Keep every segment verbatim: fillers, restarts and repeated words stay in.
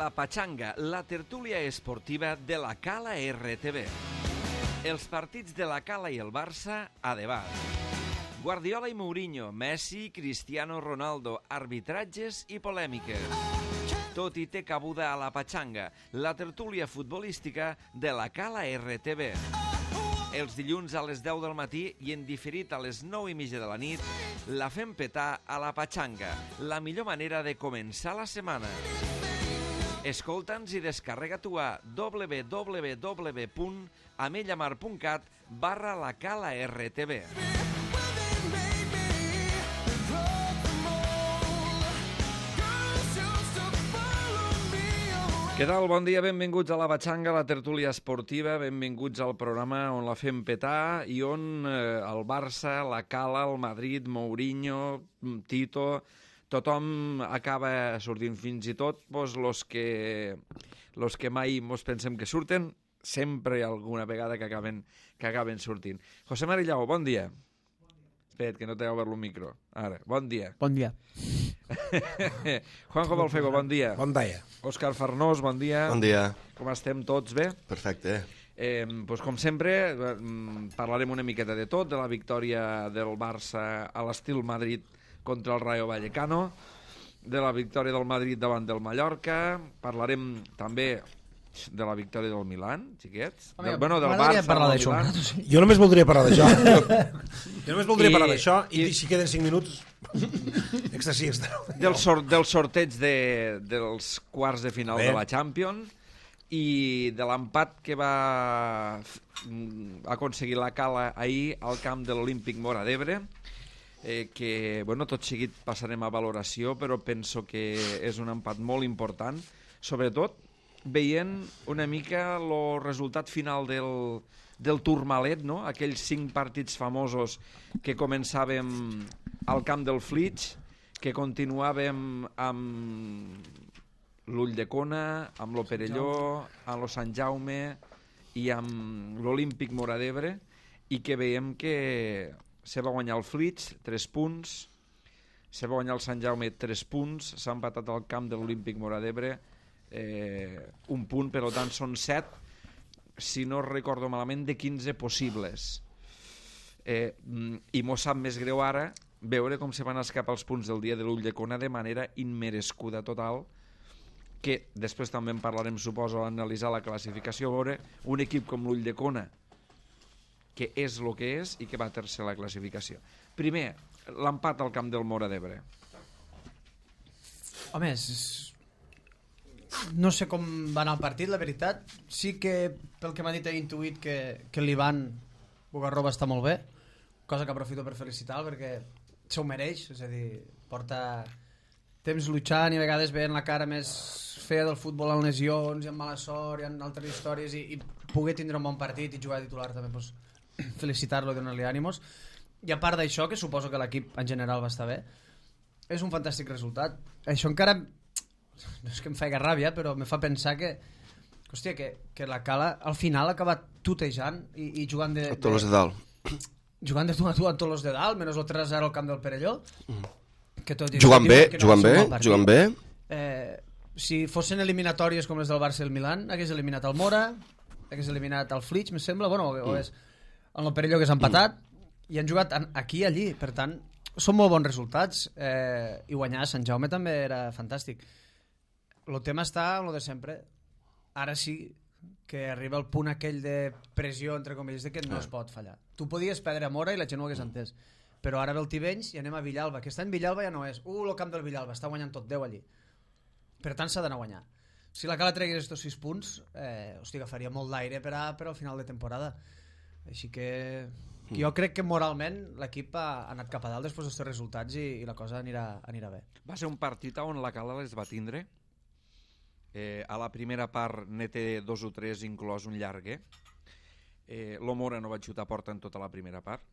La Pachanga, la tertúlia esportiva de la Cala R T V. Els partits de la Cala i el Barça a debat. Guardiola i Mourinho, Messi, Cristiano Ronaldo, arbitratges i polèmiques. Tot hi té cabuda a La Pachanga, la tertúlia futbolística de la Cala R T V. Els dilluns a les deu del matí i en diferit a les nou i mitja de la nit, la fem petar a La Pachanga, la millor manera de començar la setmana. Escolta'ns i descarrega-t'ho a w w w punt amellamar punt cat barra la Cala R T V. Què tal? Bon dia, benvinguts a La Pachanga, la tertúlia esportiva, benvinguts al programa on la fem petar i on eh, el Barça, la Cala, el Madrid, Mourinho, Tito, tothom acaba sortint, fins i tot pues, los, que, los que mai mos pensem que surten, sempre hi ha alguna vegada que acaben, que acaben sortint. José Marillau, bon dia. Espera't, que no t'he obert el micro. Ara, bon dia. Bon dia. Juanjo Balfego, bon dia. Bon dia. Òscar Farnós, bon dia. Bon dia. Com estem tots, bé? Perfecte. Eh, doncs com sempre, eh, parlarem una miqueta de tot, de la victòria del Barça a l'estil Madrid contra el Rayo Vallecano, de la victòria del Madrid davant del Mallorca, parlarem també de la victòria del Milan, xiquets. Home, del, bueno, del m'agradaria Barça, parlar del d'això. Milan. Jo només voldria parlar d'això. Jo només voldria I- parlar d'això i, i- si queden cinc minuts extra sí, extra no. Del, sor del sorteig de, dels quarts de final Bé. de la Champions i de l'empat que va mm, aconseguir la Cala ahir al camp de l'Olímpic Móra d'Ebre, eh, que, bueno, tot seguit passarem a valoració, però penso que és un empat molt important, sobretot veient una mica el resultat final del, del Tourmalet, no? Aquells cinc partits famosos que començàvem al camp del Flix, que continuàvem amb l'Ull de Cona, amb lo Perelló, amb lo Sant Jaume i amb l'Olímpic Móra d'Ebre, i que veiem que se va guanyar el Flix, tres punts, se va guanyar el Sant Jaume, tres punts, s'ha empatat al camp de l'Olímpic Móra d'Ebre, eh, un punt, per tant són set, si no recordo malament, de quinze possibles. Eh, I m'ho sap més greu ara veure com se van escapar els punts del dia de l'Ull de Cona de manera immerescuda total, que després també en parlarem, suposo, a analitzar la classificació, veure un equip com l'Ull de Cona, que és el que és i que va tercer a la classificació. Primer, l'empat al camp del Móra d'Ebre. Home, és... no sé com va anar el partit, la veritat. Sí que, pel que m'ha dit, he intuït que, que l'Ivan Bugarroba està molt bé, cosa que aprofito per felicitar perquè s'ho mereix, és a dir, porta temps luchant i a vegades veient la cara més fea del futbol en lesions i en mala sort i en altres històries, i, i poder tindre un bon partit i jugar a titular també, doncs, felicitar-lo i donar-li ànimos. I a part d'això, que suposo que l'equip en general va estar bé, és un fantàstic resultat. Això encara, no és que em faci ràbia, però me fa pensar que, hòstia, que, que la Cala al final ha acabat tutejant i, i jugant de, A tots els de dalt. jugant de tu a tu a tots els de dalt, menys el tres a zero al camp del Perelló, que tot i Jugant que bé, diuen que no jugant va ser bé, un bon partit. jugant bé. Eh, si fossin eliminatòries com les del Barça i el Milan, hagués eliminat el Mora, hagués eliminat el Flix, me sembla, bueno, o és en el Perelló, que s'ha empatat, i han jugat aquí i allí, per tant són molt bons resultats, eh, i guanyar a Sant Jaume també era fantàstic. El tema està en lo de sempre. Ara sí que arriba el punt aquell de pressió, entre comilles, de que no es pot fallar. Tu podies perdre a Mora i la gent ho hagués entès, però ara ve el Tivenys i anem a Villalba. Aquest any Villalba ja no és uh, el camp del Villalba, està guanyant tot deu allí, per tant s'ha d'anar a guanyar. Si la Cala tregués estos sis punts, eh, hosti, agafaria molt d'aire per, a, per al final de temporada. Així que jo crec que moralment l'equip ha anat cap a dalt després dels resultats i, i la cosa anirà, anirà bé. Va ser un partit on la Cala les va tindre. Eh, a la primera part ne té dos o tres, inclòs un llarguer. Eh, L'Omora no va xutar a porta en tota la primera part.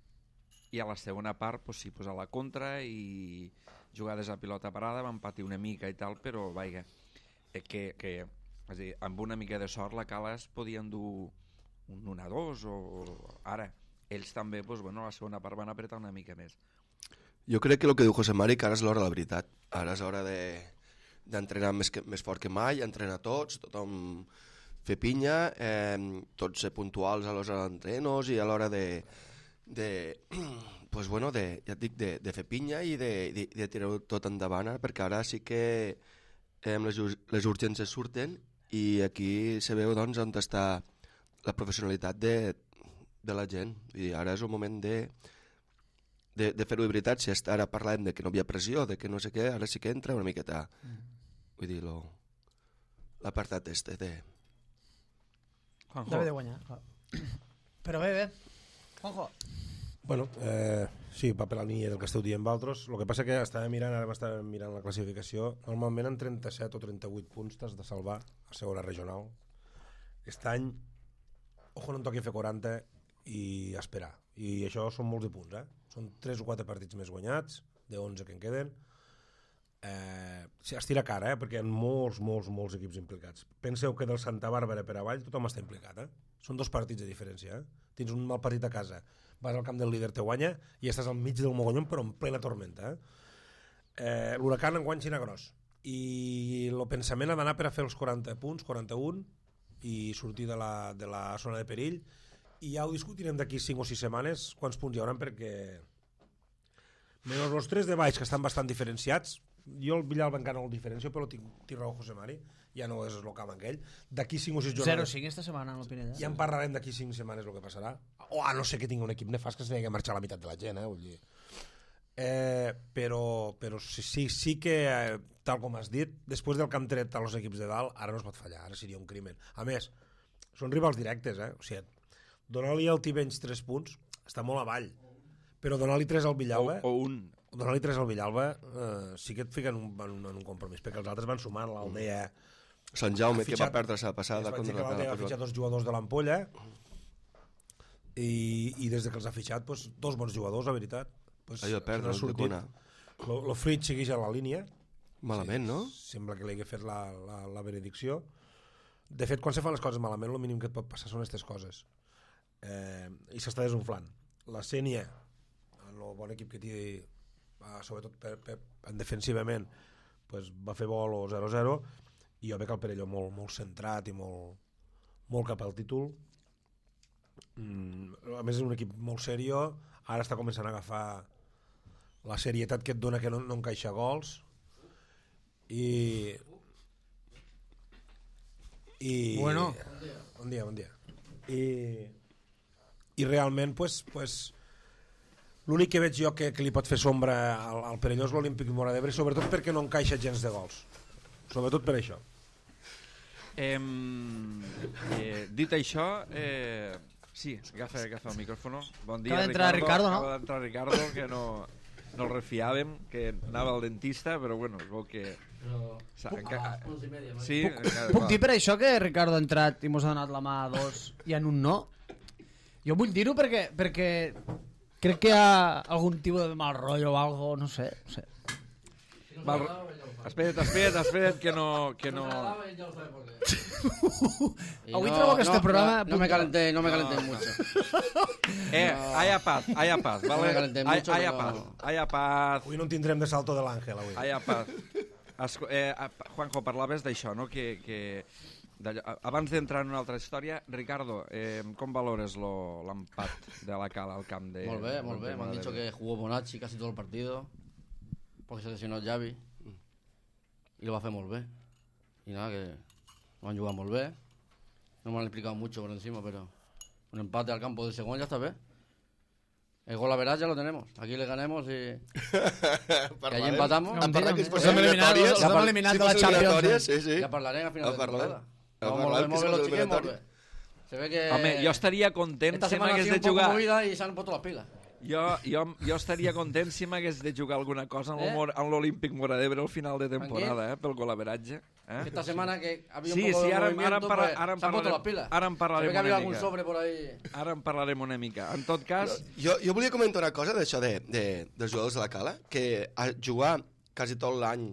I a la segona part, pues, sí, pues, a la contra i jugades a pilota parada, van patir una mica i tal, però vaja, eh, que, que és a dir, amb una mica de sort la Cala es podia endur un un a dos o ara. Ells també, pues, bueno, a la segona part van apretar una mica més. Jo crec que el que diu José Mari, que ara és l'hora de la veritat. Ara és hora de, d'entrenar més, que, més fort que mai, entrenar tots, tothom fer pinya, eh, tots ser puntuals a l'hora d'entrenos i a l'hora de, de, pues bueno, de, ja et dic, de, de fer pinya i de, de, de tirar-ho tot endavant, eh, perquè ara sí que eh, les, les urgències surten i aquí se veu doncs, on està la professionalitat de, de la gent. I ara és el moment de, de, de fer-ho de veritat. Si ara parlem de que no hi havia pressió, de que no sé què, ara sí que entra una miqueta, vull dir, lo, l'apartat este de... Juanjo. Deve de guanyar. Però bé, bé. Juanjo. Bueno, eh, sí, va per la línia del que esteu dient vosaltres. El que passa que estava mirant, ara m'estava mirant la classificació, normalment en trenta-set o trenta-vuit punts t'has de salvar a segona regional. Aquest any, ojo, no em toqui fer quaranta i esperar. I això són molts de punts, eh? Són tres o quatre partits més guanyats, de onze que en queden. Eh, es tira cara, eh? Perquè hi ha molts, molts, molts equips implicats. Penseu que del Santa Bàrbara per avall tothom està implicat, eh? Són dos partits de diferència, eh? Tens un mal partit a casa, vas al camp del líder, te guanya i estàs al mig del mogollon però en plena tormenta, eh? Eh, l'Huracan enguany xina gros i el pensament ha d'anar per a fer els quaranta punts, quaranta-un, i sortir de la, de la zona de perill, i ja ho discutirem d'aquí cinc o sis setmanes quants punts hi haurà, perquè menys els tres de baix que estan bastant diferenciats. Jo el Villalba encara no el diferencio, però tinc, tinc raó José Mari, ja no és el camp aquell. D'aquí cinc o sis jornades... zero cinc esta setmana en l'Opineda. Ja en parlarem d'aquí cinc setmanes el que passarà. O a no ser que tingui un equip nefast que s'hagi de marxar la meitat de la gent, eh? Vull dir. Eh, però però sí, sí, sí que, eh, tal com has dit, després del que han tret als equips de dalt, ara no es pot fallar, ara seria un crimen. A més, són rivals directes, eh? O sigui, donar-li al Tivenys tres punts està molt avall, però donar-li tres al Villalba... O, o un... Donar-li tres al Villalba eh, sí que et fica en un, en un compromís, perquè els altres van sumant. L'Aldea... Sant Jaume, fitxat, que va perdre la passada. contra que l'Aldea ha fitxat dos jugadors de l'Ampolla i, i des de que els ha fitxat pues, dos bons jugadors, la veritat. Pues, Allò perdre, el de Cuna. El Fritz segueix a la línia. Malament, sí, no? Sembla que li hagi fet la, la, la benedicció. De fet, quan se fan les coses malament, el mínim que et pot passar són aquestes coses. Eh, I s'està desunflant. La Sénia, el bon equip que té, sobretot per, per, en defensivament, pues, va fer vol o zero zero, i jo veig el Perelló molt, molt centrat i molt, molt cap al títol. Mm, a més és un equip molt serio, ara està començant a agafar la serietat que et dona que no, no encaixa gols, i i bueno, bon dia, bon dia, i, i realment pues, pues, l'únic que veig jo que, que li pot fer sombra al, al Perelló és l'Olímpic Móra d'Ebre, sobretot perquè no encaixa gens de gols, sobretot per això. Eh, eh, dit això, eh, sí, agafa, agafa el micròfono. Bon dia, acaba d'entrar Ricardo, no? Acaba d'entrar Ricardo, que no, no el refiàvem, que anava al dentista, però bueno, es veu que... Però... Puc, enca... ah, i media, sí, puc, encara, puc dir per això que Ricardo ha entrat i mos ha donat la mà a dos i en un no? Jo vull dir-ho perquè, perquè crec que hi ha algun tipus de mal rotllo o algo, no sé, no sé. Mal... Espera't, espera't, espera't, que no... Que no... Avui trobo que este programa... No, no me calenté, no me calenté no, mucho. Eh, no. haya paz, haya paz, ¿vale? No me calenté mucho, haya pero... paz, haya paz. Avui no en tindrem de salto de l'Àngel, avui. Haya paz. Esco eh, Juanjo, parlaves d'això, no? Que... que... Abans d'entrar en una altra història, Ricardo, eh, com valores l'empat de la Cala al camp de... Molt bé, molt bé. M'han dit que jugó Bonacci casi todo el partido, porque se lesionó Xavi, y lo va a hacer molt bé. Y nada, que lo han jugado molt bé. No me han explicado mucho por encima, pero un empate al campo de Segón ya está bien. El gol a verás ya lo tenemos. Aquí le ganemos y... que allí empatamos. A parlar que si fos Hem eliminat, eliminatòries... els hem eliminat de la Champions. Sí, sí. Ja parlarem a final de temporada. A Molt parlar bé, que molt si bé, fos los chiques, molt bé. eliminatòries... Se ve que... Home, jo estaria content esta si semana ha m'hagués sido de un poco jugar... movida y se han puesto las pilas. Jo, jo, jo estaria content si m'hagués de jugar alguna cosa en Eh? l'Olímpic Móra d'Ebre al final de temporada, eh, pel golaveratge. Eh? Esta semana que había Sí, un poco sí, de ara, movimiento, ara, en parla, pues, ara, en se han puesto las parlarem, pilas. ara en Se ve parlarem que había una algún mica. sobre por ahí. Ara en parlarem una mica. En tot cas... Jo, jo volia comentar una cosa d'això de, de, dels jugadors de la Cala, que a jugar quasi tot l'any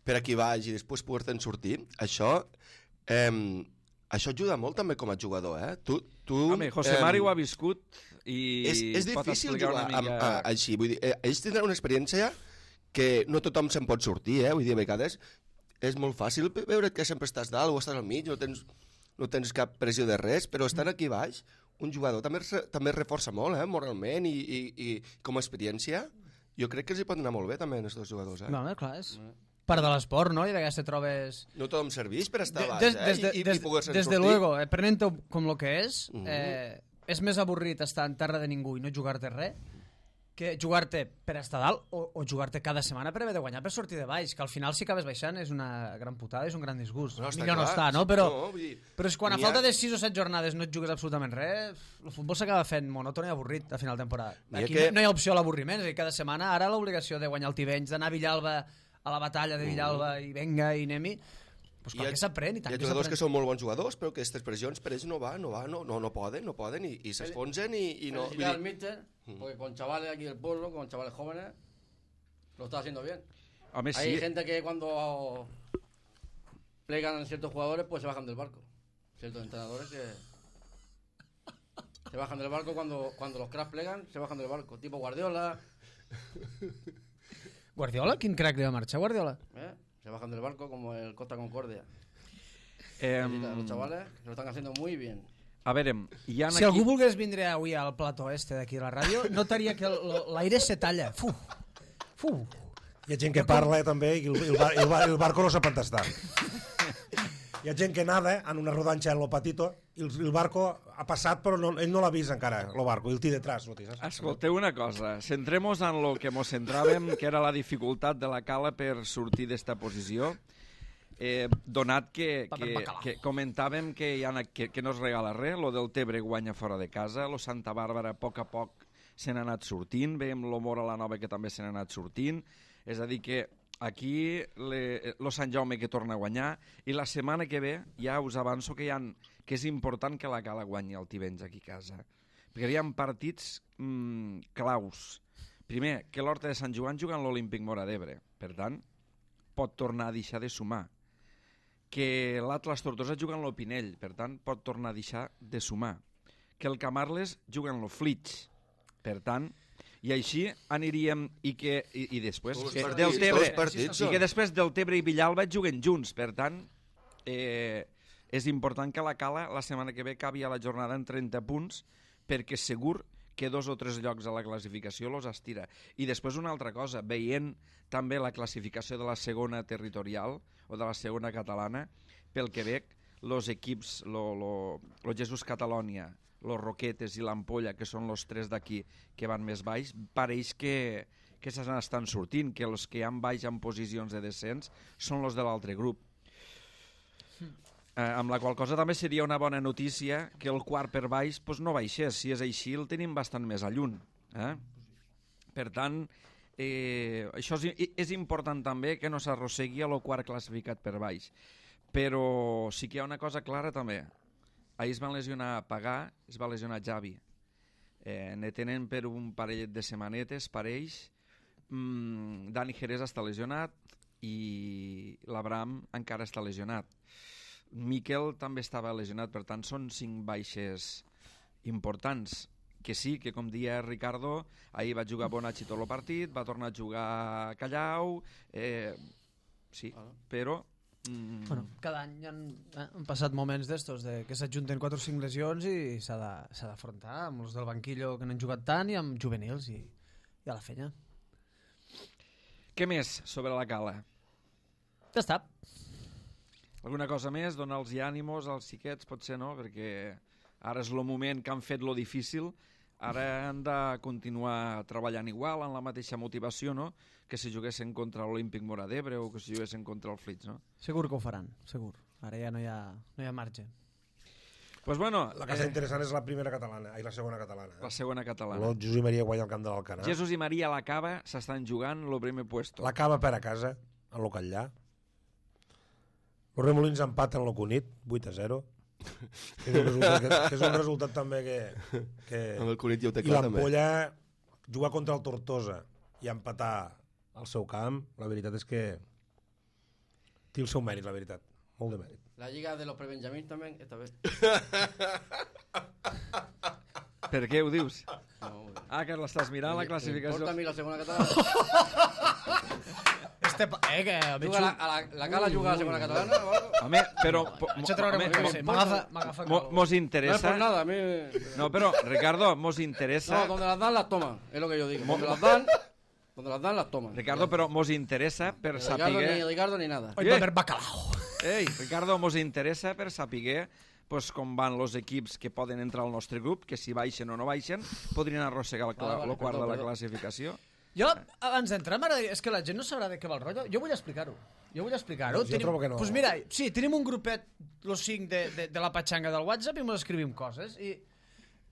per aquí baix i després poder-te'n sortir, això eh, això ajuda molt també com a jugador, eh? Tu, tu, Home, José eh, Mari ho ha viscut i és, és pot difícil explicar jugar una mica... amb, a, així, vull dir, eh, ells tindran una experiència que no tothom se'n pot sortir, eh? Vull dir, a vegades és molt fàcil veure que sempre estàs dalt o estàs al mig, no tens, no tens cap pressió de res, però estant aquí baix, un jugador també, també es reforça molt, eh, moralment i, i, i com a experiència. Jo crec que els hi pot anar molt bé també, a aquests jugadors. Eh? No, clar, és part de l'esport, no? I de vegades te trobes... No tothom serveix per estar De- baix, des, eh? des, de- I, i, des, i poder-se'n des de sortir. luego, eh, prenent-ho com el que és, Mhm. eh, és més avorrit estar en terra de ningú i no jugar-te res que jugar-te per estar dalt o, o jugar-te cada setmana per haver de guanyar per sortir de baix, que al final si acabes baixant és una gran putada, és un gran disgust. No, està Millor no clar. està, no? Però, No, vull dir, però és quan a n'hi ha- falta de sis o set jornades no et jugues absolutament res, el futbol s'acaba fent monòton i avorrit a final de temporada. N'hi ha Aquí que- no hi ha opció a l'avorriment, és a dir, cada setmana ara l'obligació de guanyar el Tivenys, d'anar a Villalba a la batalla de Villalba i venga i anem-hi, pues Hi ha- clar que s'aprèn i tant Hi ha que jugadors s'aprèn. que són molt bons jugadors, però que aquestes pressions per ells no va, no va, no, no, no poden, no poden i, i s'esponsen i, i no... Felicitar al míster, porque con chavales aquí del pueblo, con chavales jóvenes, lo está haciendo bien. Home, Hay sí. gente que cuando plegan ciertos jugadores, pues se bajan del barco. Ciertos entrenadores que se bajan del barco cuando, cuando los cracks plegan, se bajan del barco. Tipo Guardiola, Guardiola? Quin crack li va marxar, Guardiola? ¿eh? Se bajan del barco como el Costa Concordia. Eh, Felicitar a los chavales que lo están haciendo muy bien. a veure, hi ha Si aquí... algú volgués vindre avui al plató este d'aquí a la ràdio, notaria que el- l'aire se talla. Fu, fu. Hi ha gent que parla també i el, el, bar, el, bar, el barco no sap on està. Hi ha gent que nada en una rodanxa en lo patito i el, el barco ha passat però no, ell no l'ha vist encara, el barco, i el té detrás. No té, saps? Escolteu una cosa, centremos en lo que mos centràvem, que era la dificultat de la Cala per sortir d'esta posició, eh, donat que, Paper que, bacalao. que comentàvem que, hi ha, que, que no es regala res, lo del Tebre guanya fora de casa, lo Santa Bàrbara a poc a poc se n'ha anat sortint, veiem lo Mora la Nova que també se n'ha anat sortint, és a dir que aquí le, lo Sant Jaume que torna a guanyar i la setmana que ve ja us avanço que, hi ha, que és important que la Cala guanyi el Tivenys aquí a casa, perquè hi ha partits mmm, claus. Primer, que l'Horta de Sant Joan juga en l'Olímpic Mora d'Ebre, per tant pot tornar a deixar de sumar, que l'Atlas Tortosa juga en l'Opinell, per tant pot tornar a deixar de sumar, que el Camarles juga en l'Oflitx, per tant, i així aniríem i que i, i després Tots que partits, del Tebre tots partits, i que després del Tebre i Villalba juguen junts, per tant eh, és important que la Cala la setmana que ve acabi a la jornada en trenta punts perquè segur que dos o tres llocs a la classificació los estira. I després una altra cosa, veient també la classificació de la segona territorial o de la segona catalana, pel que veig, los equips, lo, lo, lo Jesús Catalònia, los Roquetes i l'Ampolla, que són els tres d'aquí que van més baix, pareix que, que se n'estan sortint, que els que han baix en posicions de descens són els de l'altre grup. Eh, amb la qual cosa també seria una bona notícia que el quart per baix pues, no baixés. Si és així, el tenim bastant més a lluny. Eh? Per tant, eh, això és, és important també que no s'arrossegui a lo quart classificat per baix. Però sí que hi ha una cosa clara també. Ahir es van lesionar Pagà, es va lesionar Javi. Eh, ne tenen per un parellet de setmanetes, parells. Mm, Dani Jerez està lesionat i l'Abraham encara està lesionat. Miquel també estava lesionat, per tant són cinc baixes importants, que sí, que com dia Ricardo, ahir va jugar Bonacci tot el partit, va tornar a jugar Callau, eh, sí, però... Mm, Bueno, cada any han, eh, han passat moments d'estos, de que s'ajunten quatre o cinc lesions i s'ha de- s'ha d'afrontar amb els del banquillo que no han jugat tant i amb juvenils i, i a la fenya. què més sobre la Cala? Ja està. Alguna cosa més? Donar-los ànimos als xiquets, potser no, perquè ara és el moment que han fet lo difícil, ara han de continuar treballant igual, amb la mateixa motivació, no?, que si juguessin contra l'Olímpic Mora d'Ebre o que si juguessin contra el Flix, no? Segur que ho faran, segur. Ara ja no hi ha, no hi ha marge. Pues bueno, La casa eh, interessant és la primera catalana, i la segona catalana. la Eh? segona catalana. El Jesús i Maria guanya el camp de l'Alcanar. Jesús i Maria a la Cava s'estan jugant el primer puesto. La Cava per a casa, en lo Catllà. Els Remolins empaten lo Cunit, vuit a zero. Que és un resultat, que, que és un resultat també que... que... Amb el Cunit ja ho té I clar, també. l'Ampolla jugar contra el Tortosa i empatar al seu camp, la veritat és que té el seu mèrit, la veritat. Molt de mèrit. La Liga de los Prebenjamín también, esta vez. Per què ho dius? No, muy bien. Ah, que l'estàs mirant, la classificació. ¿Importa a mí la segunda catalana? Este... Eh, que... Juga la, a la, la Cala juga a la segona catalana o algo. Home, però... po- Això traurem home, un mo- sí, m'agafa m'agafa mo- calor. Mos No es interessa... por nada, a mí... No, però, Ricardo, mos interessa... No, donde las dan, las toman. Es lo que yo digo. Donde las dan, donde las dan, las toman. Ricardo, però mos interessa per Ni Ricardo, ni saber... Ricardo, ni nada. Hoy va a haver bacalao. Ei, Ricardo, mos interessa per saber pues, com van els equips que poden entrar al nostre grup, que si baixen o no baixen, podrien arrossegar el, cla- Vale, vale, el quart perdó, de la perdó. classificació. Jo, abans d'entrar, m'agradaria... És que la gent no sabrà de què va el rotllo. Jo vull explicar-ho. Jo vull explicar-ho. Jo trobo que no. Pues mira, sí, tenim un grupet, los cinc de, de, de la patxanga del WhatsApp, i ens escrivim coses. I,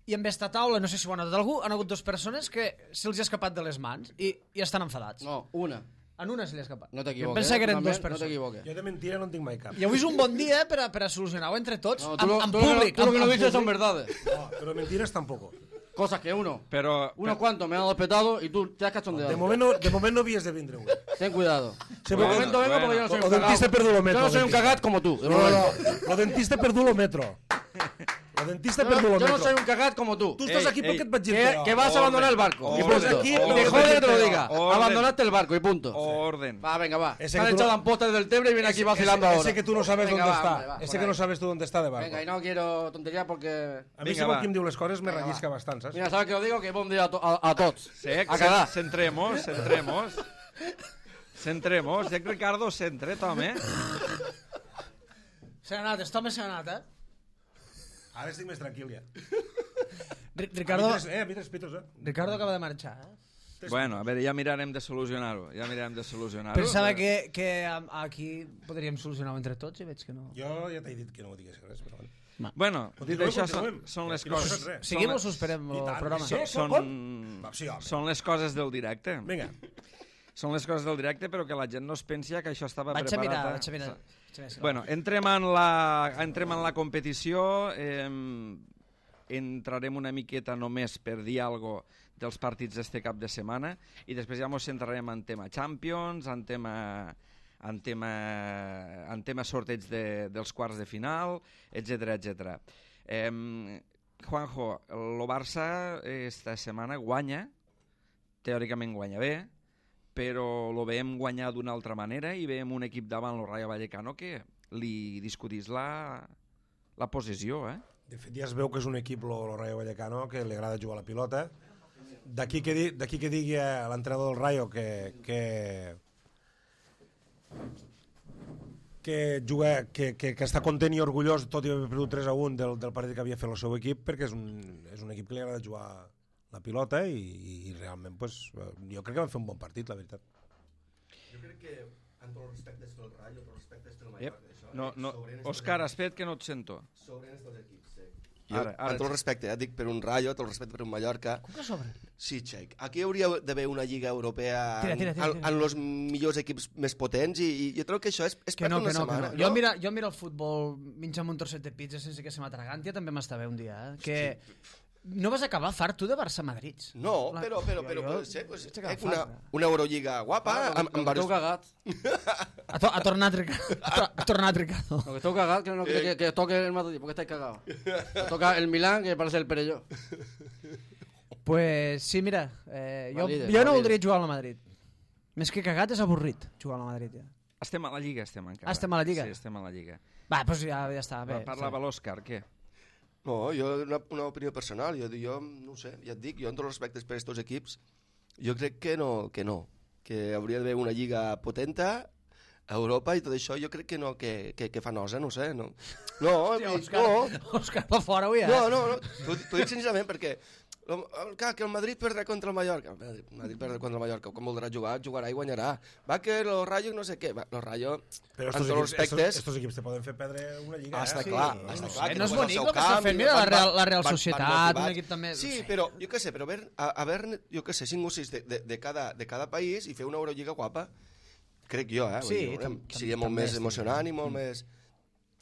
i amb esta taula, no sé si ho ha notat algú, han hagut dues persones que se'ls ha escapat de les mans i, i estan enfadats. No, una. En una se li ha escapat. No Jo t'equivoques. pensava que eren També, dues No persones. t'equivoques. Jo de mentira no en tinc mai cap. I avui és un bon dia per a, per a solucionar-ho entre tots, No, en, tú lo, en tú lo que no- públic. tú lo que en- no en dices son públic. verdades. No, pero mentiras tampoco. Cosas que uno, Però... unos cuantos me han despetado y tú te has cachondeado. De moment no, de moment no havies de vindre avui. Ten cuidado. Sí, De bueno, momento vengo porque yo no soy o un dentista cagado. perdu lo metro, Yo no soy un dentista. cagat como tú. de No, no, momento. lo dentista perdu lo metro. Lo dentista Yo, perdu no, lo yo no metro. soy un cagat como tú. Tu estàs Ei, aquí ei, perquè et vaig dir Que, que vas a abandonar el barco. Y Orden, punto. aquí, Y orden. te jode que te lo diga. Orden. Abandonaste el barco y punto. Orden. Va, venga, va. Ese Se han que tú echado no- en postas del Tebre y viene aquí Ese- vacilando ese, ahora. Ese que tú no sabes Venga, dónde va, está. hombre, va, ese por que no ahí. sabes tú dónde está de barco. Venga, y no quiero tontería porque... A mi Vinga, segur va. qui em diu les coses me Venga, rellisca va. bastant, saps? Mira, ¿sabes qué os digo? Que buen día a, to a, a tots. Sec, A cagar. centremos, centremos. Centremos. Sec Ricardo, centre, home. Se n'ha anat, este home se n'ha anat, eh? Ara estic més tranquil, ja. Ri- A Ricardo, mi tres, eh, a mi tres pitos, eh? Ricardo acaba de marxar, eh? Bueno, a veure, ja mirarem de solucionar-ho. Ja mirarem de solucionar-ho. Pensava que, que am- aquí podríem solucionar-ho entre tots i veig que no. Jo ja t'he dit que no ho digués res, però bueno. Bueno, Continuem, això són, continuem. són les I no coses... fas res. Seguim o són, suspenem I el tant, programa? sí. són, Va, sí, home. són les coses del directe. Vinga. Són les coses del directe, però que la gent no es pensi que això estava Vaig a preparat. mirar, eh? vaig a mirar. Vaig a mirar si Bueno, entrem en la, entrem en la competició, eh, entrarem una miqueta només per dir alguna cosa dels partits d'este cap de setmana i després ja ens centrarem en tema Champions, en tema, en tema, en tema sorteig de, dels quarts de final, etcètera etcètera. Eh, Juanjo, el Barça esta setmana guanya, teòricament guanya bé, però lo veiem guanyar d'una altra manera i veiem un equip davant el Rayo Vallecano que li discutís la, la posició, eh? De fet, ja es veu que és un equip, el Rayo Vallecano, que li agrada jugar a la pilota. D'aquí que, di, d'aquí que digui a l'entrenador del Rayo que, que, que, juga, que, que, que està content i orgullós, tot i haver perdut tres a un del, del partit que havia fet el seu equip, perquè és un, és un equip que li agrada jugar la pilota i, i realment pues, jo crec que van fer un bon partit, la veritat. Jo crec que amb tots els respectes pel Rayo, tots els respectes pel Yep. Mallorca, això, No, no. sobren estos Òscar, equips. espera't que no et sento. Sobren estos equips, sí. Jo, Ara, ara amb tot sí. el respecte, eh, dic per un Rayo, tot el respecte per un Mallorca. Com que sobre? Sí, Xec. Aquí hauria d'haver una lliga europea Tira, tira, tira, tira. en els millors equips més potents i, i jo trobo que això és, és Que per no, una que no, que setmana. no. Jo mira, jo mira el futbol menjant un trosset de pizza sense que se m'atraganti, també m'està bé un dia, eh? Que no vas acabar fart tu de Barça-Madrid. No, La- però, però, jo- però, jo- pot ser, pues, vaig acabar eh, una, fart. una Eurolliga guapa, Ah, amb, lo amb que esteu diversos... cagat. Ha, to ha tornat Ricardo. Ha, to ha tornat Ricardo. Lo que esteu cagat, que no quiere que, que toque el Madrid, porque estáis cagados. Toca el Milán, que parece el Perelló. Pues sí, mira, eh, jo, Madrid, jo no Madrid. voldria jugar al Madrid. Més que cagat és avorrit jugar al Madrid, ja. Estem a la Lliga, estem encara. Ah, estem a la Lliga? Sí, estem a la Lliga. Va, doncs ja, ja està, bé. Va, parlava l'Òscar, què? No, jo, una, una opinió personal, jo, jo no ho sé, ja et dic, jo amb tots els respectes per aquests equips, jo crec que no, que no, que hauria d'haver una lliga potenta a Europa i tot això, jo crec que no, que, que, que fa nosa, no ho sé, no. No, Hòstia, no, Òscar, no, Òscar va fora avui, eh? no, no, no. T'ho t'ho dic sincerament perquè el, clar, que el Madrid perdrà contra el Mallorca. El Madrid perdrà contra el Mallorca. Com voldrà jugar, jugarà i guanyarà. Va que los Rayos no sé què. Va, los Rayos, Però amb estos tots els equips, estos, respectes... estos equips te poden fer perdre una lliga. Ah, està eh? clar, Sí, està no clar. sé, que no és tu vas al bonic seu el que està camp fent. i Mira, la van- Real- la Real van- van Societat, motivats. un equip també- Sí, no sé. però jo què sé, però haver, haver jo què sé, cinc o sis de, de, de, cada, de cada país i fer una Eurolliga guapa, crec jo, eh? Vull Sí, dir, tam- que sigui tam- molt també més estic- emocionant i molt més...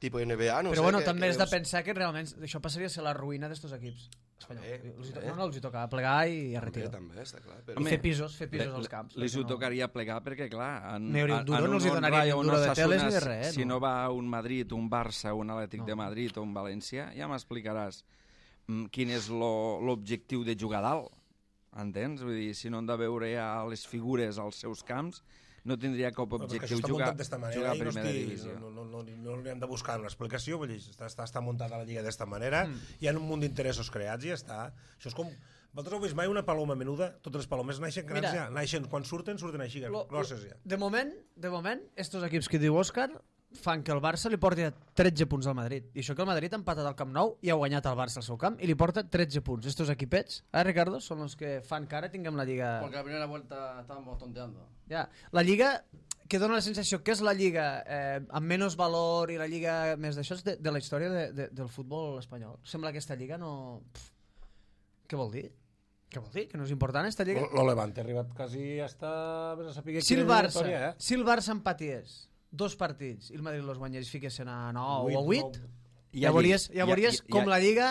Tipus N B A, no Però sé. bueno, que, també que has de veus- pensar que realment això passaria a ser la ruïna d'estos equips espanyols. També, Els hi to- també. no, no, els hi toca plegar i a També, retirar. també, està clar. I Però... fer pisos, fer pisos als camps. Li perquè ho no- tocaria plegar perquè, clar, en, Ni un en, duro en no els hi un donaria ni Rayo, un duro de Osasuna, teles ni de res, si no. no va un Madrid, un Barça, un Atlètic de Madrid o un València, ja m'explicaràs mm, quin és lo- l'objectiu de jugar a dalt. Entens? Vull dir, si no han de veure ja les figures als seus camps, no tindria cap Però perquè objectiu això està jugar, muntat d'esta manera jugar a i no, primera estic, divisió. no, no, no, no li hem de buscar una explicació, vull dir, està, està, està muntada la lliga d'esta manera, mm. hi ha un munt d'interessos creats i ja està. Això és com... Vosaltres heu vist mai una paloma menuda? Totes les palomes naixen grans Mira, ja, naixen, quan surten, surten així, Lo, grosses ja. de moment, de moment, estos equips que diu Òscar fan que el Barça li porti tretze punts al Madrid. I això que el Madrid ha empatat al Camp Nou i ha guanyat el Barça al seu camp i li porta tretze punts. Estos equipets, eh, Ricardo, són els que fan que ara tinguem la Lliga... Porque la primera vuelta estábamos tonteando. Ja. La Lliga que dona la sensació que és la Lliga eh, amb menys valor i la Lliga més d'això és de, de la història de, de, del futbol espanyol. Sembla que aquesta Lliga no... Pff, què vol dir? Què vol dir? Que no és important esta Lliga? Lo Levante ha arribat quasi hasta... A saber Si el Barça, eh? si el Barça empaties dos partits i el Madrid los guanyés i fiquessin a nou Vuit, o vuit, nou. ja veuries, ja veuries ja, ja, com ja. la Lliga